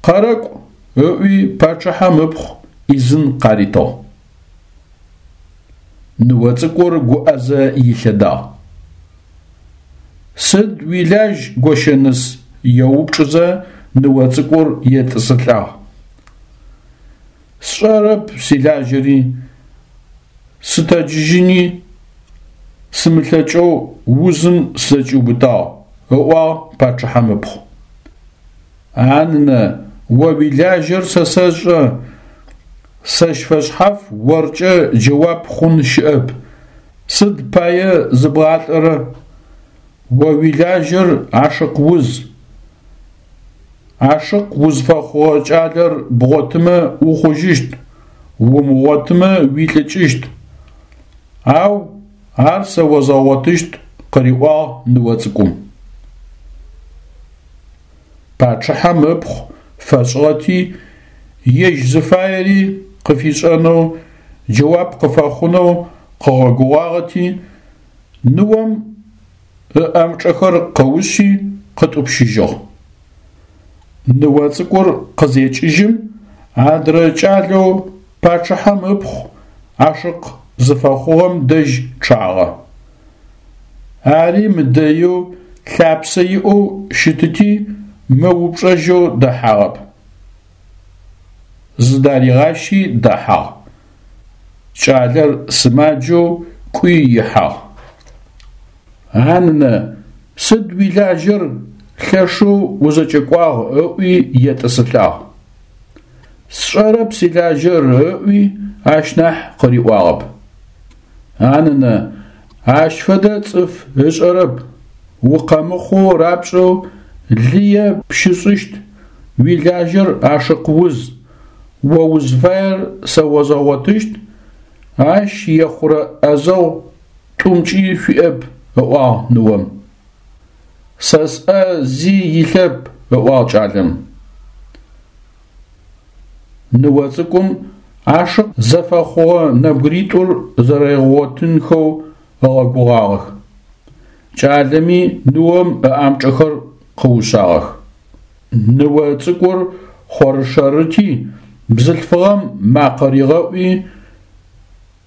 Къэрэкӏу, ыӏуи пачъыхьэм ыпхъу ӏизын къаритыгъ. Ныо цӏыкӏур гуӏэзэ илъэдагъ. Сыд уилажь, гощэныс? Еупчӏызэ ныо цӏыкӏур етӏысылӏагъ. Сшӏэрэп силажьэри, сытэджыжьыни сымылъэкӏэу узым сызэкӏиубытагъ, ыӏуагъ пачъыхьэм ыпхъу. А нынэ, о уилажьэр сэ сэшӏэ, сэщ фэшъхьаф оркӏэ джэуап хъун щыӏэп, сыд пае зыбгъалӏэрэ? О уилажьэр ашыкъ уз. Ашыкъ узфэхъугъэ кӏалэр бгъотымэ ухъужьыщт, умыгъотымэ уилӏыкӏыщт. Ау ар сэ озгъэгъотыщт, къыриӏуагъ ныо цӏыкӏум. Пачъыхьэм ыпхъу фэшӏыгъэти, ежь зыфаери къыфишӏэнэу, джэуап къыфэхъунэу къыгъэгугъагъэти, ныом ыӏамчӏэхэр къыушъи къытӏупщыжьыгъ. Ныо цӏыкӏур къызекӏыжьым, адрэ кӏалэу пачъыхьэм ыпхъу ашыкъ зыфэхъугъэм дэжь чъагъэ. Ари мыдэеу лъапсэ иӏэу щытыти мыупчӏэжьэу дэхьагъэп. Зыдаригъащи дэхьагъ. Кӏалэр сымаджэу кӏуи ихьагъ. А нынэ, сыд уилажьэр лъэшэу узэкӏэкӏуагъ ыӏуи етӏысылӏагъ. Сшӏэрэп силажьэр ыӏуи ащ нахь къыриӏуагъэп. А нынэ, ащ фэдэ цӏыф ышӏэрэп, укъэмыхъоу рапшӏэу лые пщышӏыщт, уилажьэр ашыкъ уз, о узфаер сэ озгъэгъотыщт, ащ ехъурэ ӏэзэгъу тӏумкӏи шъуиӏэп, ыӏуагъ ныом. Сэ сӏэ зи илъэп, ыӏуагъ кӏалэм. Ныо цӏыкӏум ашыкъ зэфэхъугъэ нэбгыритӏур зэригъэгъотынхэу ыгъэгугъагъэх. Кӏалэми ныом ыӏамчӏэхэр къыушъагъэх. Ныо цӏыкӏур хъорышэрыти, бзылъфыгъэм макъэ ригъэӏуи,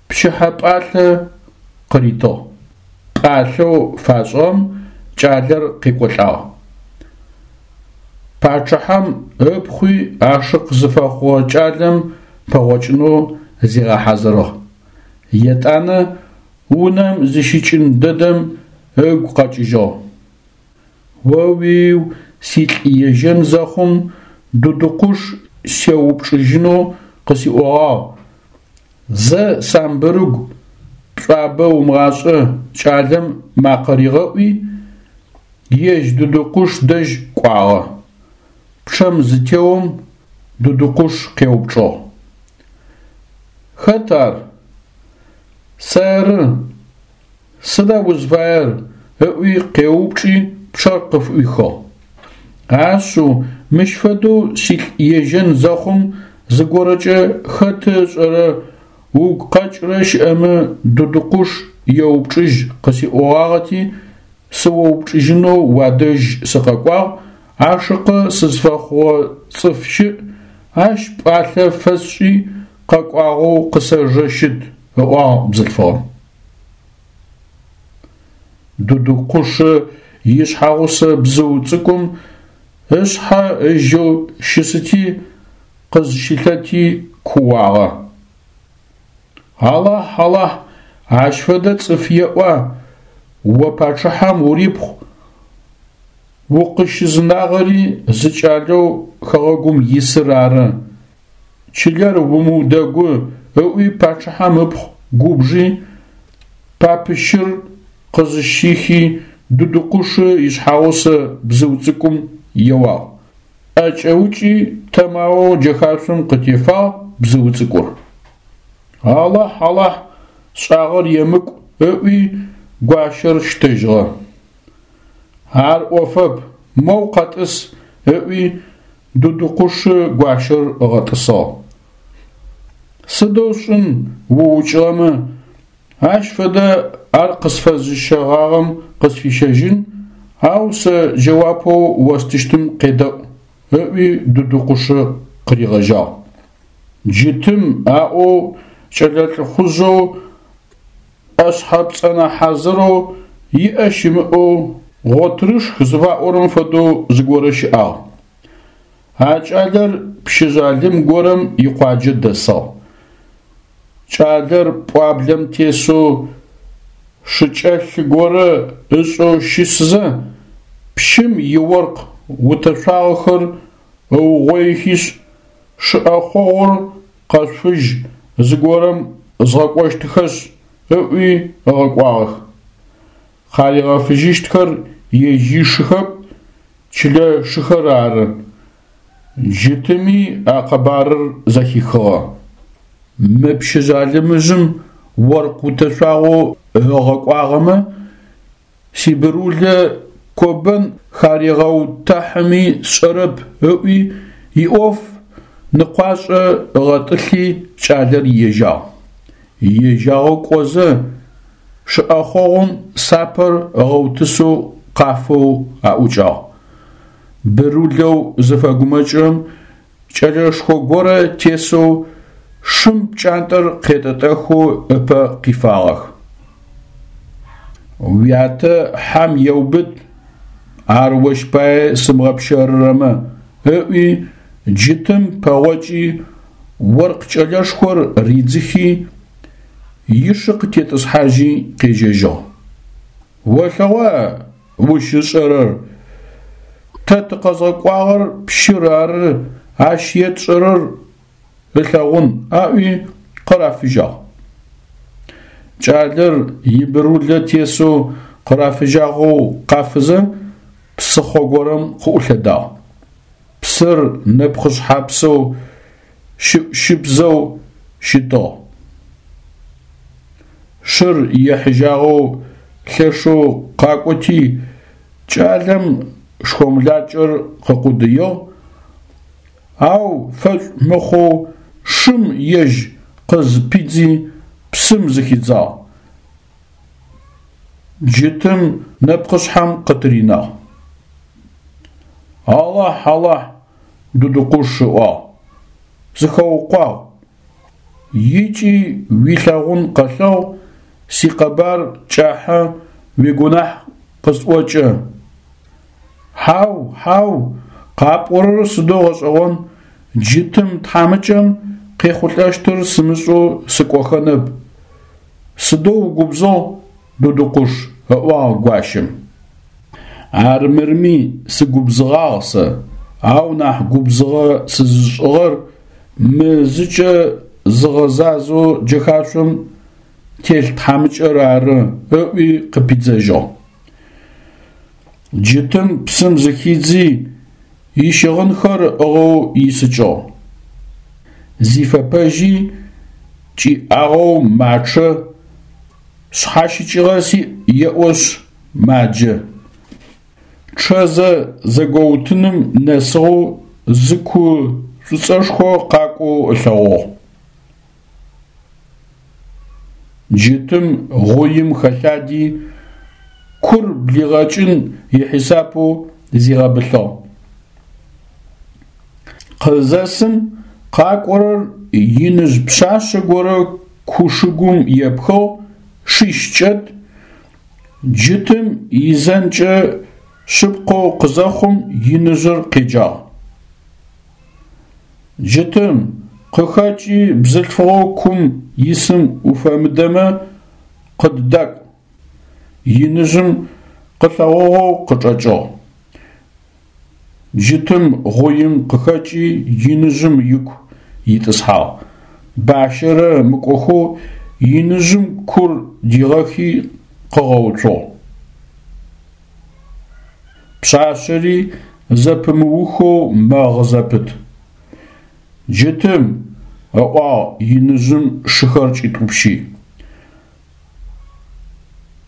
пчыхьэ пӏалъэ къыритыгъ. Пӏалъэу фашӏыгъэм кӏалэр къекӏолӏагъ. Пачъыхьэм ыпхъуи ашыкъ зыфэхъугъэ кӏалэм пэгъокӏынэу зигъэхьазырыгъ. Етӏанэ унэм зыщикӏын дэдэм ыгу къэкӏыжьыгъ. О-уиу, силӏ ежьэн зэхъум Дудукъуш сеупчӏыжьынэу къысиӏогъагъ. Зэ самбырыгу, пшӏуабэ умыгъашӏэ, кӏалэм макъэ ригъэӏуи, ежь Дудукъуш дэжь кӏуагъэ. Пчъэм зытеом Дудукъуш къеупчӏыгъ: Хэт ар? Сэры. Сыда узфаер? Ыӏуи къеупчӏи пчъэр къыфыӏуихыгъ. Ашъыу, мыщ фэдэу силӏ ежьэн зэхъум зыгорэкӏэ хэты ышӏэрэ угу къэкӏырэ щыӏэмэ Дудукъуш еупчӏыжь къысиӏогъагъэти, сыоупчӏыжьынэу уадэжь сыкъэкӏуагъ, ашыкъы сызфэхъугъэ цӏыф щыӏ, ащ пӏалъэ фэсшӏи къэкӏуагъэу къысэжэ щыт, ыӏуагъ бзылъфыгъэм. Дудукъушы ишъхьэгъусэ бзыу цӏыкӏум ышъхьэ ыжьэу щысыти, къызщылъэти кууагъэ. Алахь, Алахь, ащ фэдэ цӏыф еӏуа, о пачъыхьэм урипхъу, укъыщызынагъэри зы кӏалэу хэгъэгум исыр ары. Чылэр умыудэгу, ыӏуи пачъыхьэм ыпхъу губжи, папыщыр къызыщихи Дудукъушы ишъхьэгъусэ бзыу цӏыкӏум еуагъ. ӏэкӏэукӏи тэмаоу джэхашъом къытефагъ бзыу цӏыкӏур. Алахь, Алахь, сшӏагъэр емыкӏу, ыӏуи гуащэр щтэжьыгъэ. Ар ӏофэп, моу къэтӏыс, ыӏуи Дудукъушы гуащэр ыгъэтӏысыгъ. Сыдэу сшӏын уукӏыгъэмэ, ащ фэдэ ар къысфэзыщэгъагъэм къысфищэжьын, ау сэ джэуапэу остыщтым къедэӏу, ыӏуи Дудукъушы къыригъэжьагъ. Джытым аӏоу кӏэлэ лӏыхъужъэу ӏэшъхьэ пцӏэнэ хьазырэу иӏэ щымыӏэу гъотырышх зыфаӏорэм фэдэу зыгорэ щыӏагъ. А кӏалэр пщы жъалым горэм икъуаджэ дэсыгъ. Кӏалэр пӏуаблэм тесэу Шыкӏэлъы горэ ышӏэу щысызэ, пщым иоркъ утэшъуагъэхэр ыугъоихишъ, шы ӏэхъогъур къэшъуфыжь зыгорэм згъэкӏощтыхэшъ ыӏуи ыгъэкӏуагъэх. Къаригъэфыжьыщтхэр ежь ишыхэп, чылэ шыхэр ары. Джытыми а къэбарыр зэхихыгъэ. Мы пщы жъалымыжъым оркъ утэшъуагъэу ыгъэкӏуагъэмэ сибырулэ кобэн харегъэутэхьыми сшӏэрэп ыӏуи иӏоф ныкъуашӏэ ыгъэтӏылъи кӏалэр ежьагъ. Ежьагъэу кӏозэ шы ӏэхъогъум сапэр ыгъэутысэу къафэу аӏукӏагъ. Бырулэу зыфэгумэкӏырэм кӏэлэшхо горэ тесэу шым пкӏантӏэр къетӏэтӏэхэу ыпэ къифагъэх. Уятэ хьэм еубыт, ар ощ пае сымыгъэпщэрырэмэ, ыӏуи джытым пэгъокӏи оркъ кӏэлэшхор ридзыхи ишы къытетӏысхьажьи къежьэжьыгъ. Олъэгъуа ущ ышӏэрэр? Тэ тыкъэзгъэкӏуагъэр пщыр ары, ащ етшӏэрэр ылъэгъун, аӏуи къырафыжьагъ. Кӏалэр ибырулэ тесэу къырафыжьагъэу къафызэ псыхъо горэм къыӏулъэдагъ. Псыр нэпкъышъхьапсэу щыӏу-щыбзэу щытыгъ. Шыр ехьыжьагъэу лъэшэу къакӏоти кӏалэм шхомлакӏэр къыкъудыигъ, ау фэшӏу мыхъоу шым ежь къызпидзи псым зыхидзагъ, джытым нэпкъышъхьэм къытыринагъ. Алахь, Алахь, Дудукъуш ыӏуагъ, сыхэукъуагъ, икӏи уилъэгъун къэлъэгъу, сикъэбар кӏахьэ уигунахь къысӏокӏэ. Хьау, хьау, къапӏорэр сыдэу гъэшӏэгъон, джытым тхьамыкӏэм къехъулӏэщтыр сымышӏэу сыкӏохэнэп. Сыдэу угубзыгъ, Дудукъуш, ыӏуагъ гуащэм. Армырми сыгубзыгъагъ сэ, ау нахь губзыгъэ сызышӏыгъэр мы зыкӏэ зыгъэзазэу джэхашъом телъ тхьамыкӏэр ары, ыӏуи къыпидзэжьыгъ. Джытым псым зыхидзи ищыгъынхэр ыӏыгъэу исыкӏыгъ. Зифэпэжьи кӏиӏагъэу мачъэ, шъхьащыкӏыгъэ сиӏ еӏошъ маджэ. Чъэзэ зэгоутыным нэсыгъэу зы ку шӏуцӏэшхо къакӏоу ылъэгъугъ. Джытым гъуим хэлъади кур блигъэкӏын ихьисапэу зигъэбылъыгъ. Къызэсым къакӏорэр иныжъ пшъашъэ горэ ку шыгум епхыгъ, шищ кӏэт, джытым изэнкӏэ шъыпкъэу къызэхъум иныжъыр къеджагъ. Джытым, къыхэкӏи бзылъфыгъэу кум исым уфэмыдэмэ къыддакӏу. Иныжъым къылъэгъугъэу къычӏэкӏыгъ. Джытым гъуим къыхэкӏи иныжъым ику итӏысхьагъ. Бащэрэ мыкӏохэу иныжъым кур дигъэхи къыгъэуцугъ. Пшъашъэри зэпымыухэу мэгъы зэпыт. Джытым, ыӏуагъ иныжъым шыхэр кӏитӏупщи.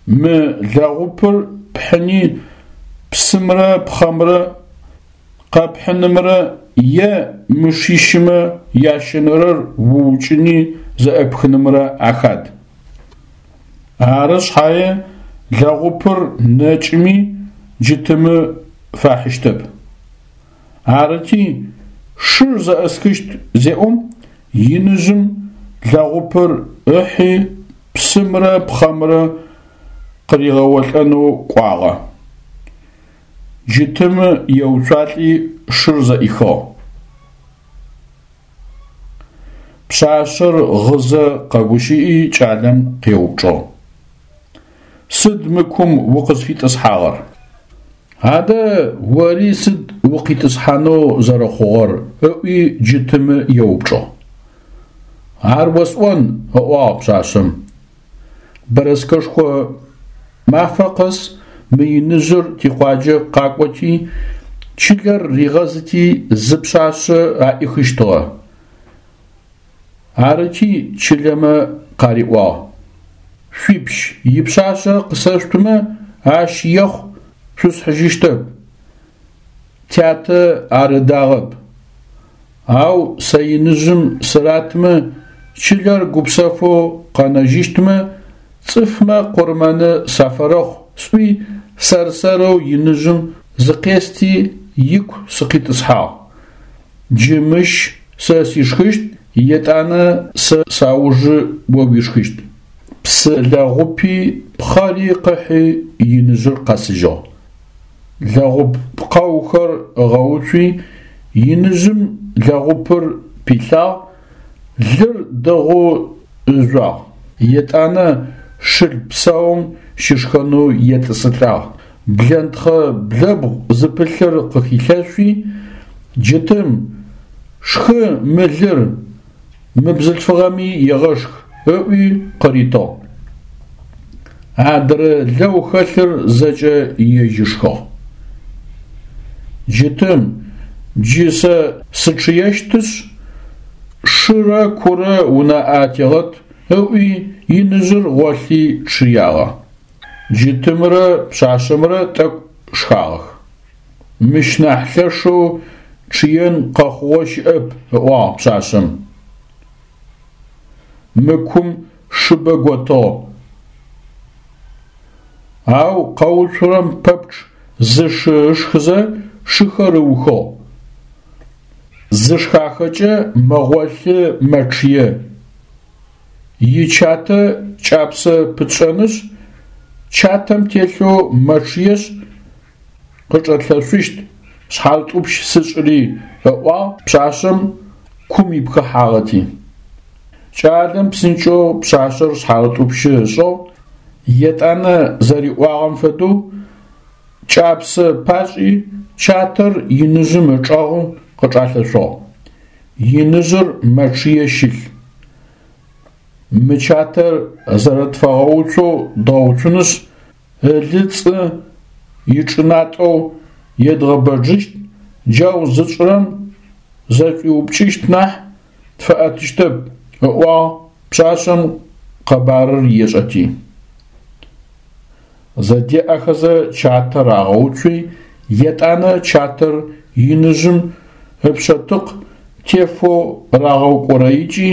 Мы лэгъупыр пхьыни псымрэ пхъэмрэ къэпхьынымрэ е мы шищымэ ящэнэрэр уукӏыни зэӏэпхынымрэ ахад. Ары шъхьае лэгъупыр нэкӏыми джытымы фэхьыщтэп. Арыти шыр зэӏэсхыщт зеӏом иныжъым лэгъупыр ыхьи псымрэ пхъэмрэ къыригъэолӏэнэу кӏуагъэ. Джытымы еуцуалӏи шыр зэӏихыгъ. Пшъашъэр гъызэ къэгущыӏи кӏалэм къеупчӏыгъ. Сыд мы кум укъызфитӏысхьагъэр? Адэ ори сыд укъитӏысхьанэу зэрэхъугъэр? – ыӏуи Джытымы еупчӏыгъ. Ар осӏон, – ыӏуагъ пшъашъэм. Бэрэскэшхо мафэ къэс мы иныжъыр тикъуаджэ къакӏоти, чылэр ригъэзыти зы пшъашъэ аӏихыщтыгъэ. Арыти чылэмэ къариӏуагъ: Шъуипщ ипшъашъэ къысэшъутымэ, ащ ехъу шъусхьыжьыщтэп. Тятэ ар ыдагъэп. Ау сэ иныжъым сыратмэ, чылэр гупсэфэу къэнэжьыщтмэ, цӏыфмэ къурмэны сафэрэхъу сӏуи сэр-сэрэу иныжъым зыкъести ику сыкъитӏысхьагъ. Джы мыщ сэ сишхыщт, етӏанэ сэ саужы о уишхыщт. Псы лэгъупи пхъэри къыхьи иныжъыр къэсыжьыгъ. Лэгъуп пкъэухэр ыгъэуцуи иныжъым лэгъупыр пилъагъ, лыр дэгъоу ыжъуагъ. Етӏанэ шыл псаум щышхэнэу етӏысылӏагъ. Блэнтхъэ блэбгъу зыпылъыр къыхилъэшъуи, Джытым: «Шхы мы лыр, мы бзылъфыгъэми егъэшх», – ыӏуи къыритыгъ. Адрэ лэу хэлъыр зэкӏэ ежь ышхыгъ. Джытым: «Джы сэ сычъыещтышъ, шырэ курэ унаӏэ атегъэт», – ыӏуи иныжъыр гъолъи чъыягъэ. Джытымрэ пшъашъэмрэ тӏэкӏу шхагъэх. Мыщ нахь лъэшэу чъыен къэхъугъэ щыӏэп, – ыӏуагъ пшъашъэм. Мы кум шыбэ готыгъ, ау къэуцурэм пэпчъ зы шы ышхызэ шыхэр ыухыгъ. Зышхахэкӏэ мэгъолъы, мэчъые. Ичатэ кӏапсэ пытшӏэнышъ, чатэм телъэу мэчъыешъ, къычӏэтлъэшъущт, шъхьарытӏупщ сышӏыри, – ыӏуагъ пшъашъэм кум ипхыхьагъэти. Кӏалэм псынкӏэу пшъашъэр шъхьарытӏупщы ышӏыгъ, етӏанэ зэриӏуагъэм фэдэу кӏапсэ пашӏи чатэр иныжъым ычӏэгъы къычӏалъэшъугъ. Иныжъыр мэчъые щылъ. Мы чатэр зэрэтфэгъэуцоу дгъэуцунышъ, ылыцӏы ичӏынатӏэу едгъэбэджыщт, джау зытшӏырэм зэшӏуиупкӏыщт нахь тфэӏэтыщтэп, – ыӏуагъ пшъашъэм къэбарыр ешӏэти. Зэдеӏэхэзэ чатэр агъэуцуи, етӏанэ чатэр иныжъым ыпшъэтыкъ тефэу рагъэукӏорэикӏи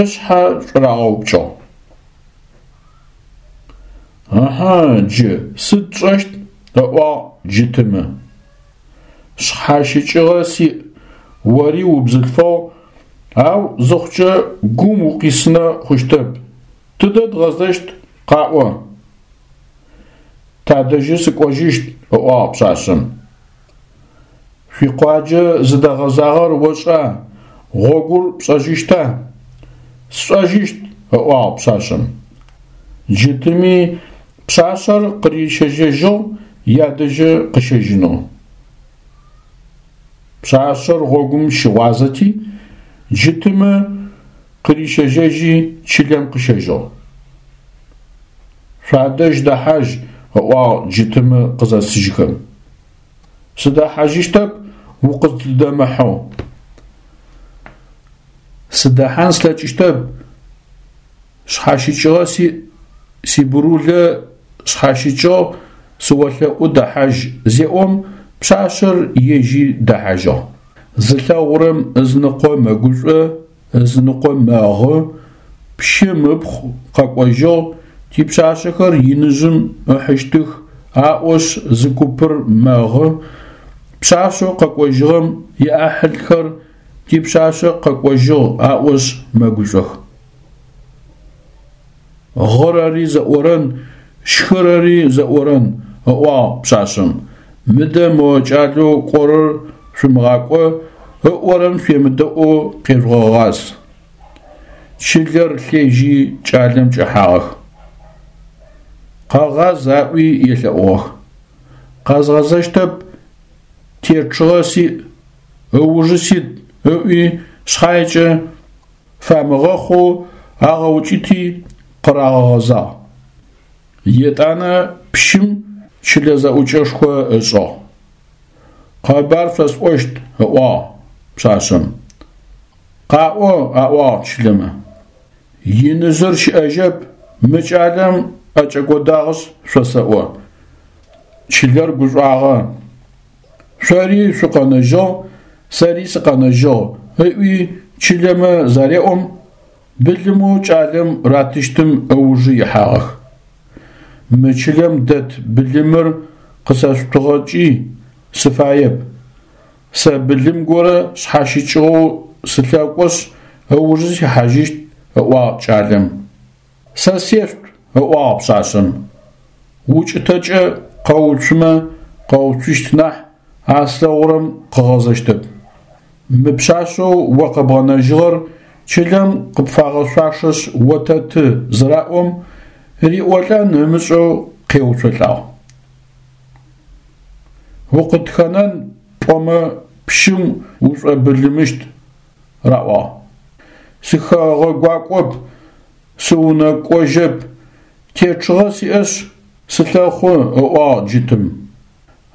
ышъхьэ шӏурагъэупкӏыгъ. Ыхьы, джы сыд тшӏэщт? – ыӏуагъ Джытымы. Шъхьащыкӏыгъэ сиӏ, ори убзылъфыгъ, ау зыхъукӏэ гум укъисынэ хъущтэп. Тыдэ дгъэзэщт, къаӏо? Тадэжьы сыкӏожьыщт, – ыӏуагъ пшъашъэм. Шъуикъуаджэ зыдэгъэзагъэр ошӏа, гъогур пшӏэжьыщта? Сшӏэжьыщт, – ыӏуагъ пшъашъэм. Джытыми пшъашъэр къырищэжьэжьыгъ ядэжьы къыщэжьынэу. Пшъашъэр гъогум щыгъуазэти, Джытымы къырищэжьэжьи чылэм къыщэжьыгъ. Шъуадэжь дэхьажь, – ыӏуагъ Джытымы къызэсыжьхэм. Сыдэхьажьыщтэп укъыздэмыхьэу. Сыдэхьан слъэкӏыщтэп, шъхьащыкӏыгъэ сиӏ, сибырулэ шъхьащыкӏыгъ, сыолъэӏу дэхьажь, – зеӏом пшъашъэр ежьи дэхьажьыгъ. Зылъэгъурэм ызыныкъо мэгушӏо, ызыныкъо мэгъы, пщым ыпхъу къэкӏожьыгъ, типшъашъэхэр иныжъым ыхьыщтых аӏошъ зы купыр мэгъы, пшъашъэу къэкӏожьыгъэм иӏахьылхэр типшъашъэ къэкӏожьыгъ аӏошъ мэгушӏох. Гъырэри зэӏорэн, щхырэри зэӏорэн, – ыӏуагъ пшъашъэм. Мыдэ мо кӏалэу кӏорэр шъумыгъакӏо, ыӏорэм шъуемыдэӏоу къежъугъэгъаз. Чылэр лъежьи кӏалэм кӏэхьагъэх. Къэгъаз аӏуи елъэӏугъэх. Къэзгъэзэщтэп, течыгъэ сиӏ, ыужы сит ыӏуи шъхьаекӏэ фамыгъэхъоу агъэукӏыти къырагъэгъэзагъ. Етӏанэ пщым чылэ зэӏукӏэшхо ышӏыгъ. Къэбар шъосӏощт, ыӏуагъ пшъашъэм. Къаӏо, аӏуагъ чылэмэ. Иныжъыр щыӏэжьэп, мы кӏалэм ӏэкӏэкӏодагъэшъ шъосэӏо. Чылэр гушӏуагъэ. Шъори шъукъэнэжьыгъ, сэри сыкъэнэжьыгъ, ыӏуи чылэмэ зареӏом, былымэу кӏалэм ратыщтым ыужы ихьагъэх. Мы чылэм дэт былымыр къысэшъутыгъэкӏи сыфаеп. Сэ былым горэ шъхьащыкӏыгъэу сылъэкӏошъ ыужы сихьажьыщт, ыӏуагъ кӏалэм. Сэ сешъут, ыӏуагъ пшъашъэм. Укӏытэкӏэ къэуцумэ къэуцущт нахь, а слъэгъурэм къыгъэзэщтэп. Мы пшъашъэу о къэбгъэнэжьыгъэр чылэм къыпфагъэшъуашэшъ отэты зыраӏом, риӏолӏэн ымышӏэу къеуцолӏагъ. Укъытхэнэн пӏомэ пщым ушӏобылымыщт, раӏуагъ. Сыхэгъэгуакӏоп, сыунэкӏожьэп, течыгъэ сиӏэшъ сылъэхъу, ыӏуагъ джытым.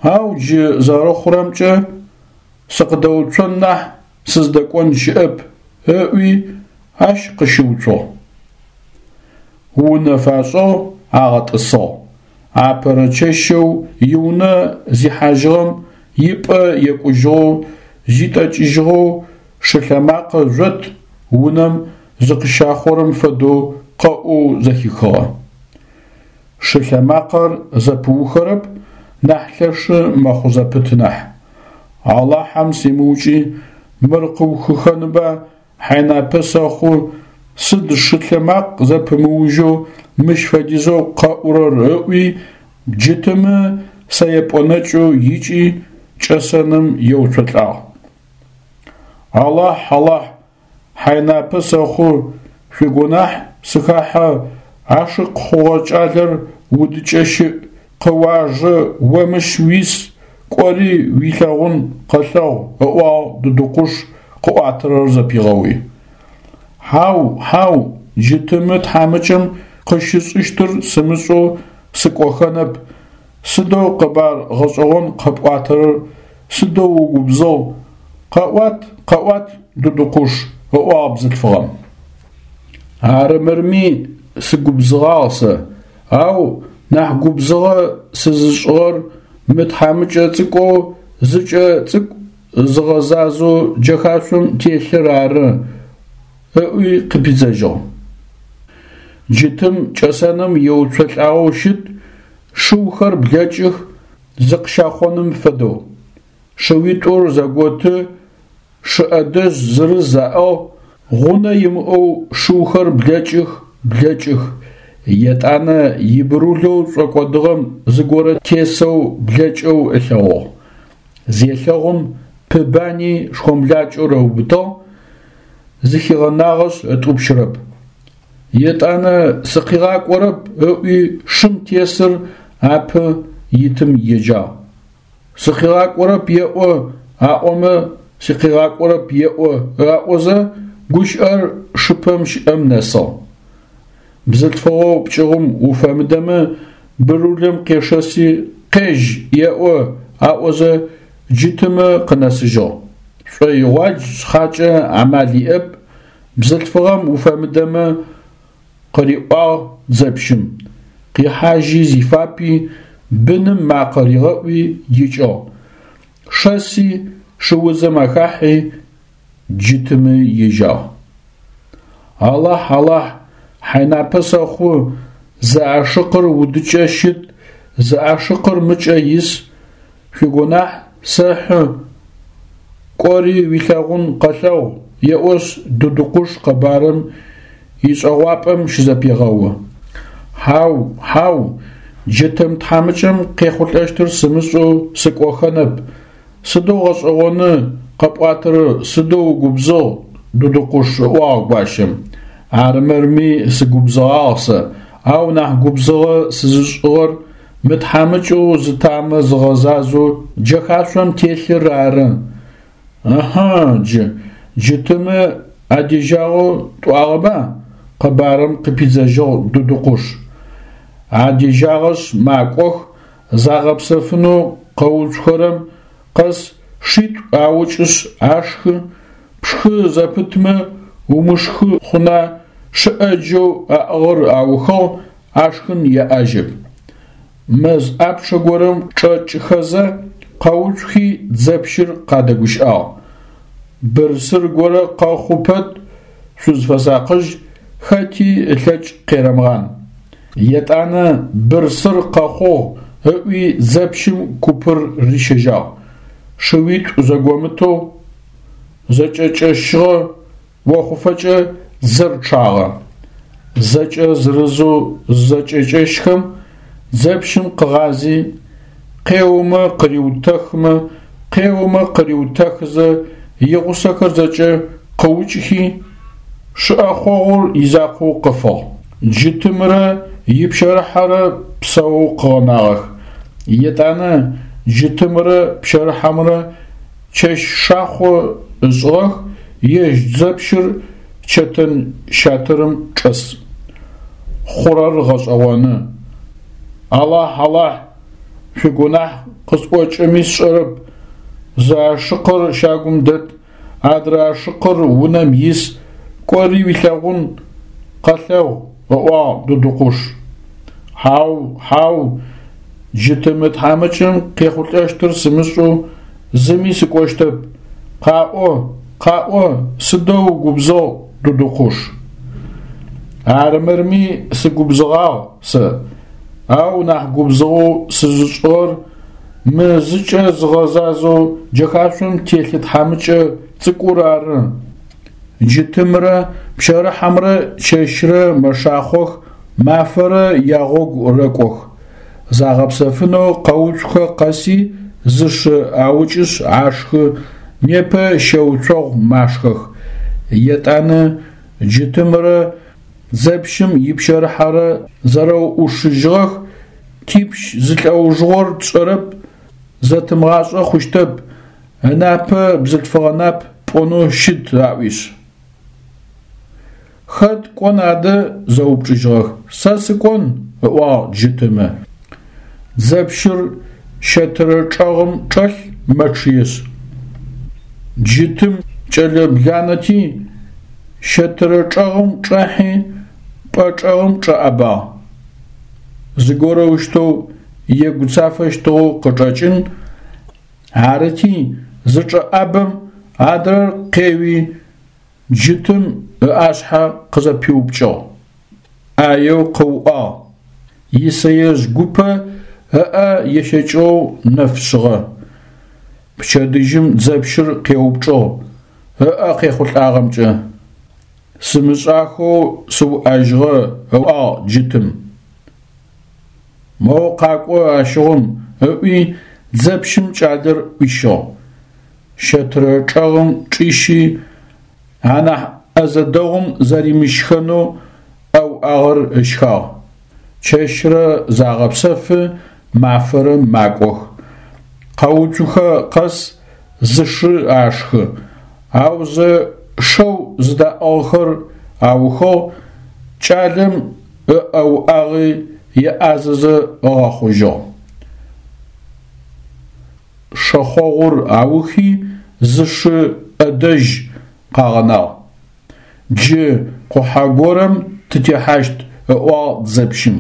Ау джы зэрэхъурэмкӏэ сыкъыдэуцон нахь сыздэкӏон щыӏэп, ыӏуи ащ къыщыуцугъ. Унэ фашӏыгъ, агъэтӏысыгъ. Апэрэ чэщэу иунэ зихьажьыгъэм ипӏэ екӏужьыгъэу, зитӏэкӏыжьыгъэу шылъэмакъэ жъот унэм зыкъыщахъорэм фэдэу къэӏоу зэхихыгъэ. Шылъэмакъэр зэпыухэрэп, нахь лъэшы мэхъу зэпыт нахь. Алахьэм симыукӏи мыр къыухыхэнба, хьайнапэ сэхъу, сыд шылъэмакъ зэпымыужьэу мыщ фэдизэу къэӏурэр ыӏуи, джытымы сэепӏонэкӏэу икӏи кӏэсэным еуцолӏагъ. Алахь, Алахь, хьайнапэ сэхъу, шъуигунахь сыхахьэ, ашыкъ хъугъэ кӏалэр удыкӏэ щыӏ, къыуажэ, о мыщ уис, кӏори уилъэгъун къэлъэгъу, ыӏуагъ Дыдыкъуш къыӏуатэрэр зэпигъэуи. Хьау, хьау, джытымы тхьамыкӏэм къыщышӏыщтыр сымышӏэу сыкӏохэнэп, сыдэу къэбар гъэшӏэгъон къэпӏуатэрэр, сыдэу угубзыгъ, къэӏуат, къэӏуат, Дыдыкъуш, ыӏуагъ бзылъфыгъэм. Арымырми сыгубзыгъагъ сэ, ау нахь губзыгъэ сызышӏыгъэр мы тхьамыкӏэ цӏыкӏоу зыкӏэ цӏыкӏу зыгъэзазэу джэхашъом телъыр ары, ыӏуи къыпидзэжьыгъ. Джытым кӏэсэным еуцолӏагъэу щыт, шыухэр блэкӏых зыкъыщахъоным фэдэу. Шыуитӏур зэготы, шы ӏэдэжь зырыз аӏыгъ, гъунэ имыӏэу шыухэр блэкӏых, блэкӏых. Етӏанэ ибырулэу шӏокӏодыгъэм зыгорэ тесэу блэкӏэу ылъэгъугъ. Зелъэгъум пыбани шхомлакӏэр ыубытыгъ, зыхигъэнагъэшъ ытӏупщырэп. Етӏанэ сыкъигъакӏорэп ыӏуи шым тесыр апэ итым еджагъ. Сыкъигъакӏорэп еӏо аӏомэ сыкъигъакӏорэп еӏо аӏозэ гущыӏэр шыпэм щыӏэм нэсыгъ. Бзылъфыгъэу пкӏыгъум уфэмыдэмэ бырулэм къешэси къежь еӏо аӏозэ джытымэ къынэсыжьыгъ. Шӏоигъуадж шъхьакӏэ амал иӏэп, бзылъфыгъэм уфэмыдэмэ къыриӏуагъ дзэпщым. Къихьажьи зифапи, быным макъэ ригъэӏуи икӏыгъ. Шэси шыудзэм ахахьи джытымы ежьагъ. Алахь, Алахь, хьайнапэ сэхъу, зы ашыкъыр удыкӏэ щыт, зы ашыкъыр мыкӏэ ис, шъуигунахь сэхьы, кӏори уилъэгъун къэлъэгъу, еӏошъ Дыдыкъуш къэбарым ишӏэгъуапӏэм щызэпегъэу. Хьау, хьау, джытым тхьамыкӏэм къехъулӏэщтыр сымышӏэу сыкӏохэнэп, сыдэу гъэшӏэгъоны къэпӏуатэрэр, сыдэу угубзыгъ, Дыдыкъуш, ыӏуагъ гуащэм. Арымырми сыгубзыгъагъ сэ, Ау нахь губзыгъэ сызышӏыгъэр мы тхьамыкӏэу зытамэ зыгъэзазэу джэхашъом телъыр ары. Ыхьы джы, джытымэ адежьагъэу тӏуагъэба? – къэбарым къыпидзэжьыгъ Дудукъуш. Адежьагъэшъ макӏох, загъэпсэфынэу къэуцухэрэм къэс шитӏу аукӏышъ ашхы, пшхы зэпытмэ умышхы хъуна, шы ӏэджэу аӏыгъыр аухыгъ, ашхын яӏэжьэп. Мэз ӏапчъэ горэм чӏэкӏыхэзэ къэуцухи дзэпщыр къадэгущыӏагъ: «Бырсыр горэ къэхъу пэт, шъузфэсакъыжь, хэти ылъэкӏ къерэмыгъан». Етӏанэ бырсыр къэхъугъ ыӏуи дзэпщым купыр рищэжьагъ. Шыуитӏу зэгомытэу зэкӏэкӏэщыгъэ охъуфэкӏэ дзэр чъагъэ. Зэкӏэ зырызэу зызэкӏэкӏэщхэм, дзэпщым къыгъази, къеомэ къыриутэхмэ, къеомэ къыриутэхызэ игъусэхэр зэкӏэ къыукӏыхи, шы ӏэхъогъур изакъоу къыфыгъ. Джытымрэ ипщэрыхьэрэ псэоу къыгъэнагъэх. Етӏанэ джытымрэ пщэрыхьэмрэ чэщ шахъо ышӏыгъэх, ежь дзэпщыр чэтэн щатырым чӏэс. Хъурэр гъэшӏэгъоны. Алахь, Алахь, шъуигунахь къысӏокӏэми сшӏэрэп, зы ашыкъыр щагум дэт, адрэ ашыкъыр унэм ис, кӏори уилъэгъун, къэлъэгъу, ыӏуагъ Дудукъуш. Хьау, хьау, джытымы тхьамыкӏэм къехъулӏэщтыр сымышӏэу зыми сыкӏощтэп. Къаӏо, къаӏо, сыдэу угубзыгъ, Дудукъуш. Арымырми сыгубзыгъагъ сэ, ау нахь губзыгъэу сызышӏыгъэр мы зыкӏэ зыгъэзазэу джэхашъом телъы тхьамыкӏэ цӏыкӏур ары. Джытымрэ пщэрыхьэмрэ чэщрэ мэшахъох, мафэрэ ягъогу рэкӏох. Загъэпсэфынэу къэуцухэ къэси зы шы аукӏышъ ашхы, непэ щэуцогъу машхэх. Етӏанэ джытымрэ дзэпщым ипщэрыхьэрэ зэрэуӏушыжьыгъэх: «Типщ зылӏэужыгъор тшӏэрэп, зэтымыгъашӏэ хъущтэп, ынапэ бзылъфыгъэ нап пӏонэу щыт», – аӏуишъ. Хэт кӏон адэ зэупчӏыжьыгъэх. Сэ сыкӏон, ыӏуагъ джытымэ. Дзэпщыр щэтырэ чӏэгъым чӏэлъ мэчъыешъ. Джытым кӏэлэ бланэти щэтырэ чӏэгъым чӏахьи пӏэ чӏэгъым чӏэӏэбагъ. Зыгорэущтэу егуцафэщтыгъэу къычӏэкӏын, арыти зычӏэӏабэм адрэр къеуи джытым ыӏашъхьэ къызэпиупкӏыгъ. ӏаеу къыуӏагъ, исэежъ гупэ ыӏэ ещэкӏыгъэу нэф шъыгъэ. Пчэдыжьым дзэпщыр къеупчӏыгъ ыӏэ къехъулӏагъэмкӏэ. Сымышӏахэу сыуӏэжьыгъэ, ыӏуагъ джытым. Моу къакӏо ащыгъум, ыӏуи дзэпщым кӏалэр ӏуищыгъ. Щэтырэ чӏэгъым чӏищи, анахь ӏэзэ дэгъум зэримышхэнэу ӏэ уӏагъэр ышхагъ. Чэщрэ загъэпсэфы, мафэрэ макӏох. Къэуцухэ къэс зы шы ашхы, аузэ шэу зыдаӏыгъхэр аухыгъ, кӏалэм ыӏэ уӏагъи еӏазэзэ ыгъэхъужьыгъ. Шэхъогъур аухи зы шы ӏэдэжь къагъэнагъ. Джы къухьэ горэм тытехьащт, ыӏуагъ дзэпщым.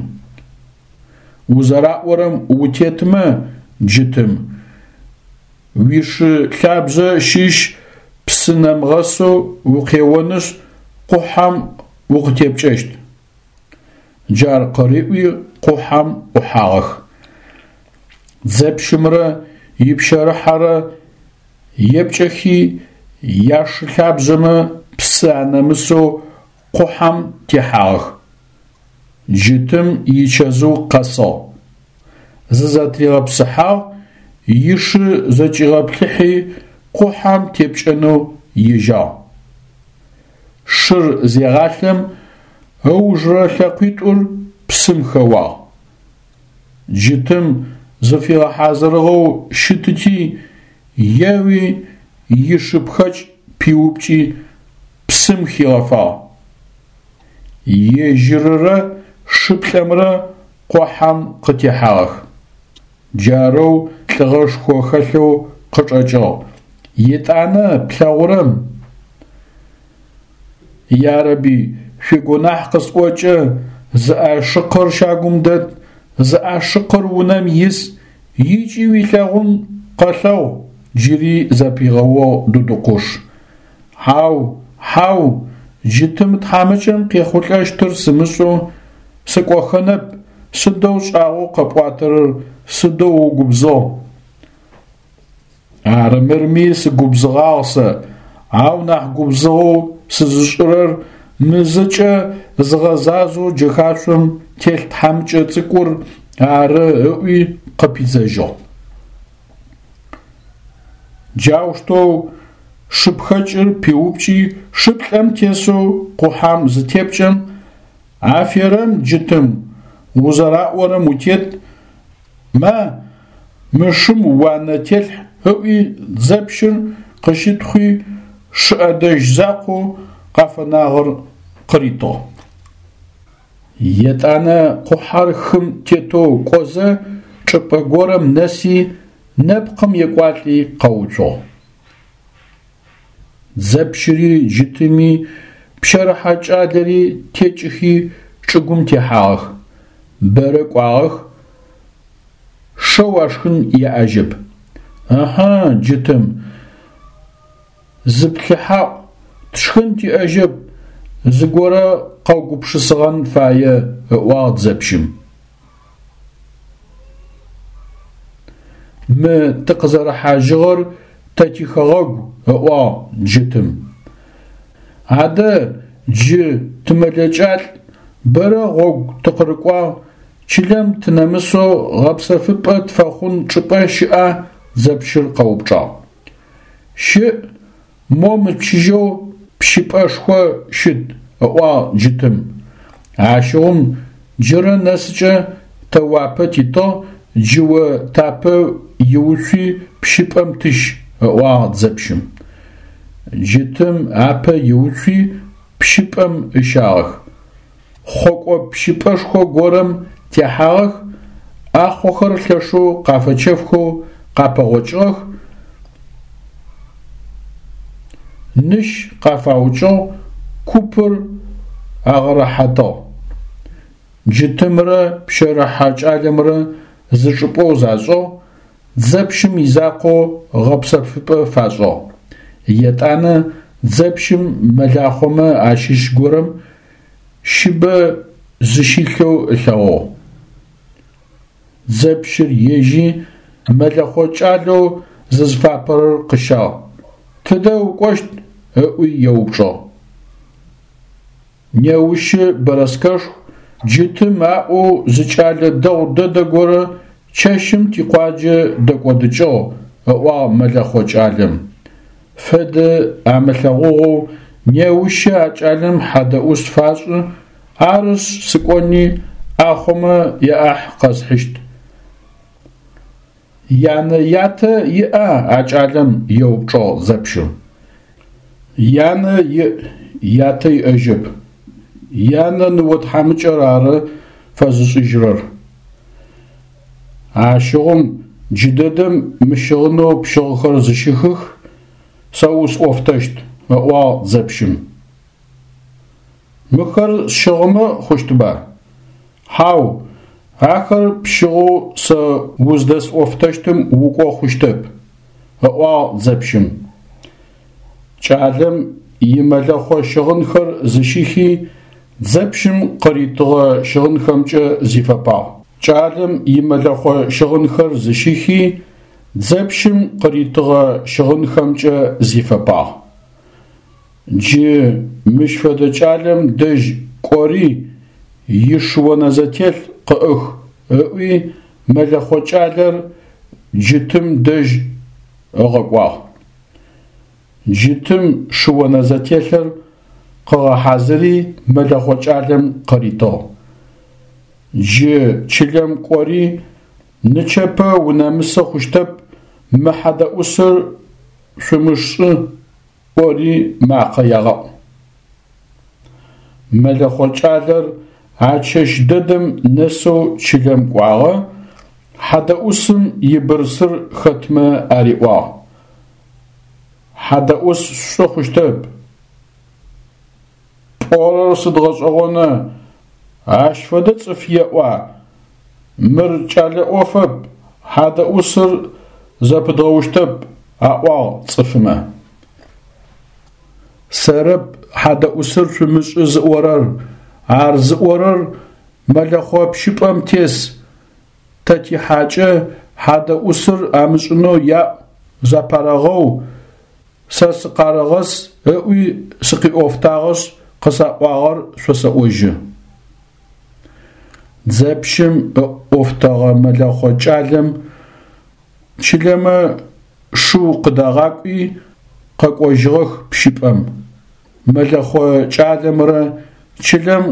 Узэраӏорэм утетмэ, джытым, уишы лъабжъэ щыщ псы нэмыгъэсэу укъеонышъ къухьэм укъытепкӏэщт. Джар къыриӏуи къухьэм ӏухьагъэх. Дзэпщымрэ ипщэрыхьэрэ епкӏэхи яшы лъабжъэмэ псы анэмысэу къухьэм техьагъэх. Джытым ичэзыу къэсыгъ. Зызэтыригъэпсыхьагъ, ишы зэкӏигъэплъыхьи къухьэм тепкӏэнэу ежьагъ. Шыр зегъалъэм ыужырэ лъэкъуитӏур псым хэуагъ. Джытым зыфигъэхьазырыгъэу щытыти, еуи ишыпхэкӏ пиупкӏи псым хигъэфагъ. Ежьыррэ шыплӏэмрэ къухьэм къытехьагъэх. Джарэу лӏыгъэшхо хэлъэу къычӏэкӏыгъ. Етӏанэ плъэгъурэм: Ярэби, шъуигунахь къысӏокӏэ зы ашыкъыр щагум дэт, зы ашыкъыр унэм ис, икӏи уилъэгъун къэлъэгъу, джыри зэпигъэугъ Дудукъуш. Хьау, хьау, джытым тхьамыкӏэм къехъулӏэщтыр сымышӏэу сыкӏохэнэп, сыдэу шӏагъоу къэпӏуатэрэр, сыдэу угубзыгъ. Арымырми сыгубзыгъагъ сэ, ау нахь губзыгъэу сызышӏырэр мы зэкӏэ зыгъэзазоу джэхашъом телъ тхьамыкӏэ цӏыкӏур ары, ыӏуи къыпидзэжьыгъ. Джаущтэу шыпхэкӏыр пиупкӏи шыплӏэм тесэу къухьэм зытепкӏэм, аферэм джытым, узэраӏорэм утет, ма, мы шым уанэ телъхь ыӏуи дзэпщыр къыщытхъуи шы ӏэдэжь закъоу къафэнагъэр къыритыгъ. Етӏанэ къухьэр хым тетэу кӏозэ чӏыпӏэ горэм нэси нэпкъым екӏуалӏи къэуцугъ. Дзэпщыри джытыми пщэрыхьэ кӏалэри текӏыхи чӏыгум техьагъэх. Бэрэ кӏуагъэх, шэу ашхын яӏэжьэп. Ыхьы, джытым, зыплъыхьаӏу, тшхын тиӏэжьэп, зыгорэ къэугупшысыгъэн фае, ыӏуагъ дзэпщым. Мы тыкъызэрыхьажьыгъэр тэ тихэгъэгу, ыӏуагъ джытым. Адэ джы тымэлэкӏалӏ, бэрэ гъогу тыкъырыкӏуагъ, чылэм тынэмысэу гъэпсэфыпӏэ тфэхъун чӏыпӏэ щыӏа? Дзэпщыр къэупчӏагъ. Щыӏ, мо мычыжьэу пщыпӏэшхо щыт, ыӏуагъ джытым. Ащыгъум джырэ нэсыкӏэ тэ уапэ титыгъ, джы о тапэ иуцуи пщыпӏэм тыщ, ыӏуагъ дзэпщым. Джытым апэ иуцуи пщыпӏэм ыщагъэх. Хъокӏо пщыпӏэшхо горэм техьагъэх, ӏахъохэр лъэшэу къафэчэфхэу къапэгъокӏыгъэх, ныщ къафаукӏыгъ, купыр агъэрэхьатыгъ. Джытымрэ пщэрыхьэ кӏалэмрэ зы чӏыпӏэу зашӏыгъ, дзэпщым изакъоу гъэпсэфыпӏэ фашӏыгъ. Етӏанэ дзэпщым мэлахъомэ ащыщ горэм щыбэ зыщилъэу ылъэгъугъ. Дзэпщыр ежьи мэлэхъо кӏалэу зызыфапэрэр къыщагъ. Тыдэ укӏощт? Ыӏуи еупчӏыгъ. Неущы бэрэскэшху, джытым аӏоу зы кӏалэ дэгъу дэдэ горэ чэщым тикъуаджэ дэкӏодыкӏыгъ, ыӏуагъ мэлэхъо кӏалэм. Фэдэ амылъэгъугъэу неущы а кӏалэм хьадэӏус фашӏы, арышъ сыкӏони ӏахъомэ яӏахь къэсхьыщт. Янэ-ятэ иӏа а кӏалэм? Еупчӏыгъ дзэпщыр. Янэ иӏ, ятэ иӏэжьэп. Янэ ныо тхьамыкӏэр ары фэзышӏыжьырэр. Ащыгъум джыдэдэм мы щыгъынэу пщыгъхэр зыщыхых, сэ усӏофтэщт, ыӏуагъ дзэпщым. Мыхэр сщыгъымэ хъущтыба? Хьау, ахэр пщыгъэу сэ уздэсӏофтэщтым укӏо хъущтэп, ыӏуагъ дзэпщым. Кӏалэм имэлэхъо щыгъынхэр зыщихи дзэпщым къыритыгъэ щыгъынхэмкӏэ зифэпагъ. Кӏалэм имэлэхъо щыгъынхэр зыщихи дзэпщым къыритыгъэ щыгъынхэмкӏэ зифэпагъ. Джы мыщ фэдэ кӏалэм дэжь кӏори ишыонэзэтелъ къыӏых, ыӏуи мэлэхъо кӏалэр джытым дэжь ыгъэкӏуагъ. Джытым шыонэзэтелъыр къыгъэхьазыри мэлэхъо кӏалэм къыритыгъ. Джы чылэм кӏори нычэпэ унэмысы хъущтэп, мы хьадэӏусыр шъумышӏы ӏори макъэ ягъэӏу. Мэлэхъо кӏалэр а чэщ дэдэм нэсэу чылэм кӏуагъэ, хьадэӏусым ибырсыр хэтмэ ариӏуагъ: «Хьадэӏус шъушӏы хъущтэп. Пӏорэр сыд гъэшӏэгъона, ащ фэдэ цӏыф еӏуа, мыр кӏэлэ ӏофэп, хьадэӏусыр зэпыдгъэущтэп», – аӏуагъ цӏыфмэ. Сэрэп хьадэӏусыр шъумышӏы зыӏорэр, ар зыӏорэр мэлэхъо пщыпӏэм тес, тэ тихьакӏэ, хьадэӏусыр амышӏынэу яӏу, зэпарэгъэу, сэ сыкъарэгъэс ыӏуи сыкъиӏофтагъэшъ къысаӏуагъэр шъосэӏожьы. Дзэпщым ыӏофтэгъэ мэлэхъо кӏалэм чылэмэ шыу къыдагъакӏуи къэкӏожьыгъэх пщыпӏэм. Мэлэхъо кӏалэмрэ чылэм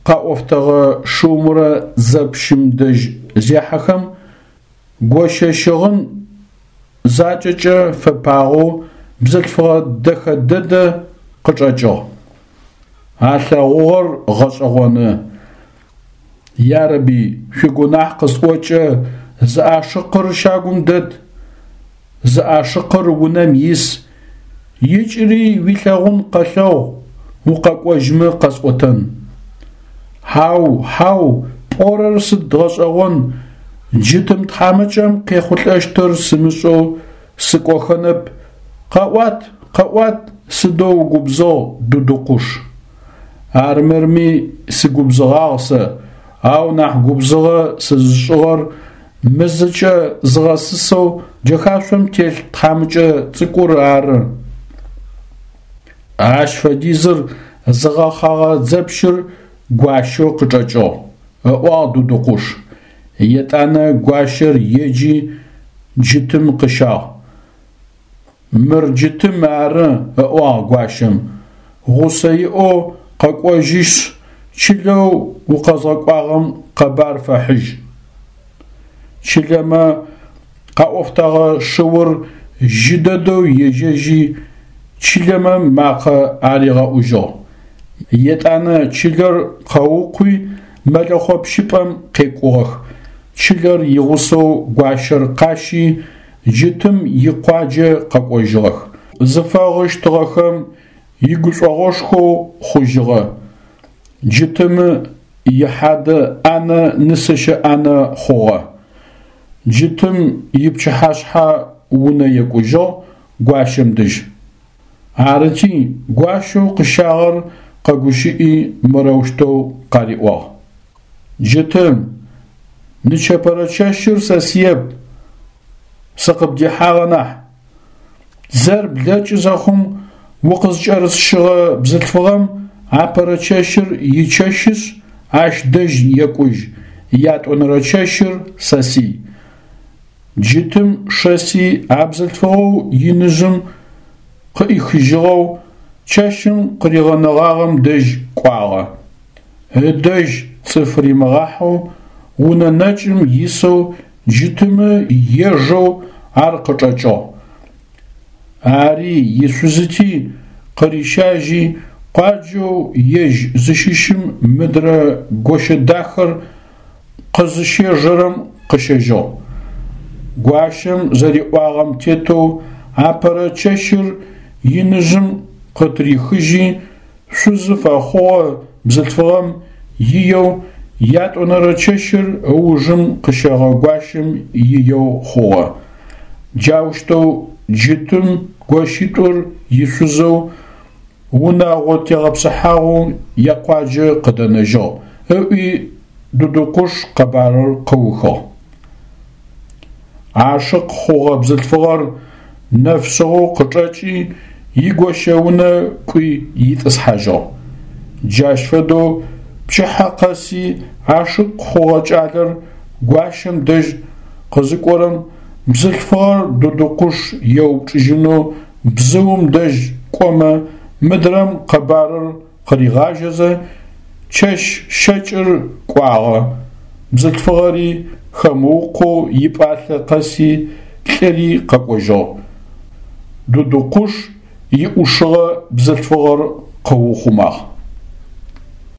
къаӏофтэгъэ шыумрэ дзэпщым дэжь зехьэхэм, гощэ щыгъын закӏэкӏэ фэпагъэу бзылъфыгъэ дэхэ дэдэ къычӏэкӏыгъ. Алъэгъугъэр гъэшӏэгъоны. Ярэби, шъуигунахь къысӏокӏэ зы ашыкъыр щагум дэт, зы ашыкъыр унэм ис, икӏыри уилъэгъун къэлъэгъу, укъэкӏожьмэ къэсӏотэн. Хьау, хьау, пӏорэр сыд гъэшӏэгъон, джытым тхьамыкӏэм къехъулӏэщтыр сымышӏэу сыкӏохэнэп, къэӏуат, къэӏуат, сыдэу угубзыгъ, Дудукъуш. Армырми сыгубзыгъагъ сэ, ау нахь губзыгъэ сызышӏыгъэр мы зыкӏэ зыгъэсысэу джэхашъом телъ тхьамыкӏэ цӏыкӏур ары. Ащ фэдизыр зыгъэхъагъэ дзэпщыр гуащэу къычӏэкӏыгъ, ыӏуагъ Дудукъуш. Етӏанэ гуащэр еджи джытым къыщагъ. Мыр джытым ары, ыӏуагъ гуащэм, гъусэ иӏэу къэкӏожьышъ, чылэу укъэзгъэкӏуагъэм къэбар фэхьыжь. Чылэмэ къаӏофтэгъэ шыур жьы дэдэу ежьэжьи чылэмэ макъэ аригъэӏужьыгъ. Етӏанэ чылэр къэукъуи мэлэхъо пщыпӏэм къекӏугъэх. Чылэр игъусэу гуащэр къащи джытым икъуаджэ къэкӏожьыгъэх. Зыфэгъыщтыгъэхэм игушӏогъошхоу хъужьыгъэ. Джытымы ихьадэ ӏанэ нысэщэ ӏанэ хъугъэ. Джытым ипчыхьашъхьэ унэ екӏужьыгъ гуащэм дэжь. Арыти гуащэу къыщагъэр къэгущыӏи мырэущтэу къариӏуагъ: «Джытым, нычэпэрэ чэщыр сэ сыеп, сыкъыбдихьагъэ нахь. Дзэр блэкӏы зэхъум укъызкӏэрысщыгъэ бзылъфыгъэм апэрэ чэщыр ичэщышъ, ащ дэжь екӏужь, ятӏонэрэ чэщыр сэсый». Джытым шэси а бзылъфыгъэу иныжъым къыӏихыжьыгъэу чэщым къыригъэнэгъагъэм дэжь кӏуагъэ. Ыдэжь цӏыф римыгъахьэу унэ нэкӏым исэу джытымы ежэу ар къычӏэкӏыгъ. Ари ишъузыти къырищажьи къуаджэу ежь зыщыщым мыдрэ гощэ дахэр къызыщежэрэм къыщэжьыгъ. Гуащэм зэриӏуагъэм тетэу апэрэ чэщыр иныжъым къытырихыжьи шъузы фэхъугъэ бзылъфыгъэм иеу ятӏонэрэ чэщыр ыужым къыщэгъэ гуащэм иеу хъугъэ. Джаущтэу джытым гощитӏур ишъузэу унэгъо тегъэпсыхьагъэу якъуаджэ къыдэнэжьыгъ, ыӏуи Дудукъуш къэбарыр къыухыгъ. Ашыкъ хъугъэ бзылъфыгъэр нэфшъыгъэу къычӏэкӏи игощэ унэ кӏуи итӏысхьажьыгъ. Джащ фэдэу пчыхьэ къэси ашыкъ хъугъэ кӏалэр гуащэм дэжь къызыкӏорэм бзылъфыгъэр Дудукъуш еупчӏыжьынэу бзыум дэжь кӏомэ мыдрэм къэбарыр къыригъажьэзэ чэщ щэкӏыр кӏуагъэ. Бзылъфыгъэри хэмыукъоу ипӏалъэ къэси лӏыри къэкӏожьыгъ. Дудукъуш иӏушыгъэ бзылъфыгъэр къыухъумагъ.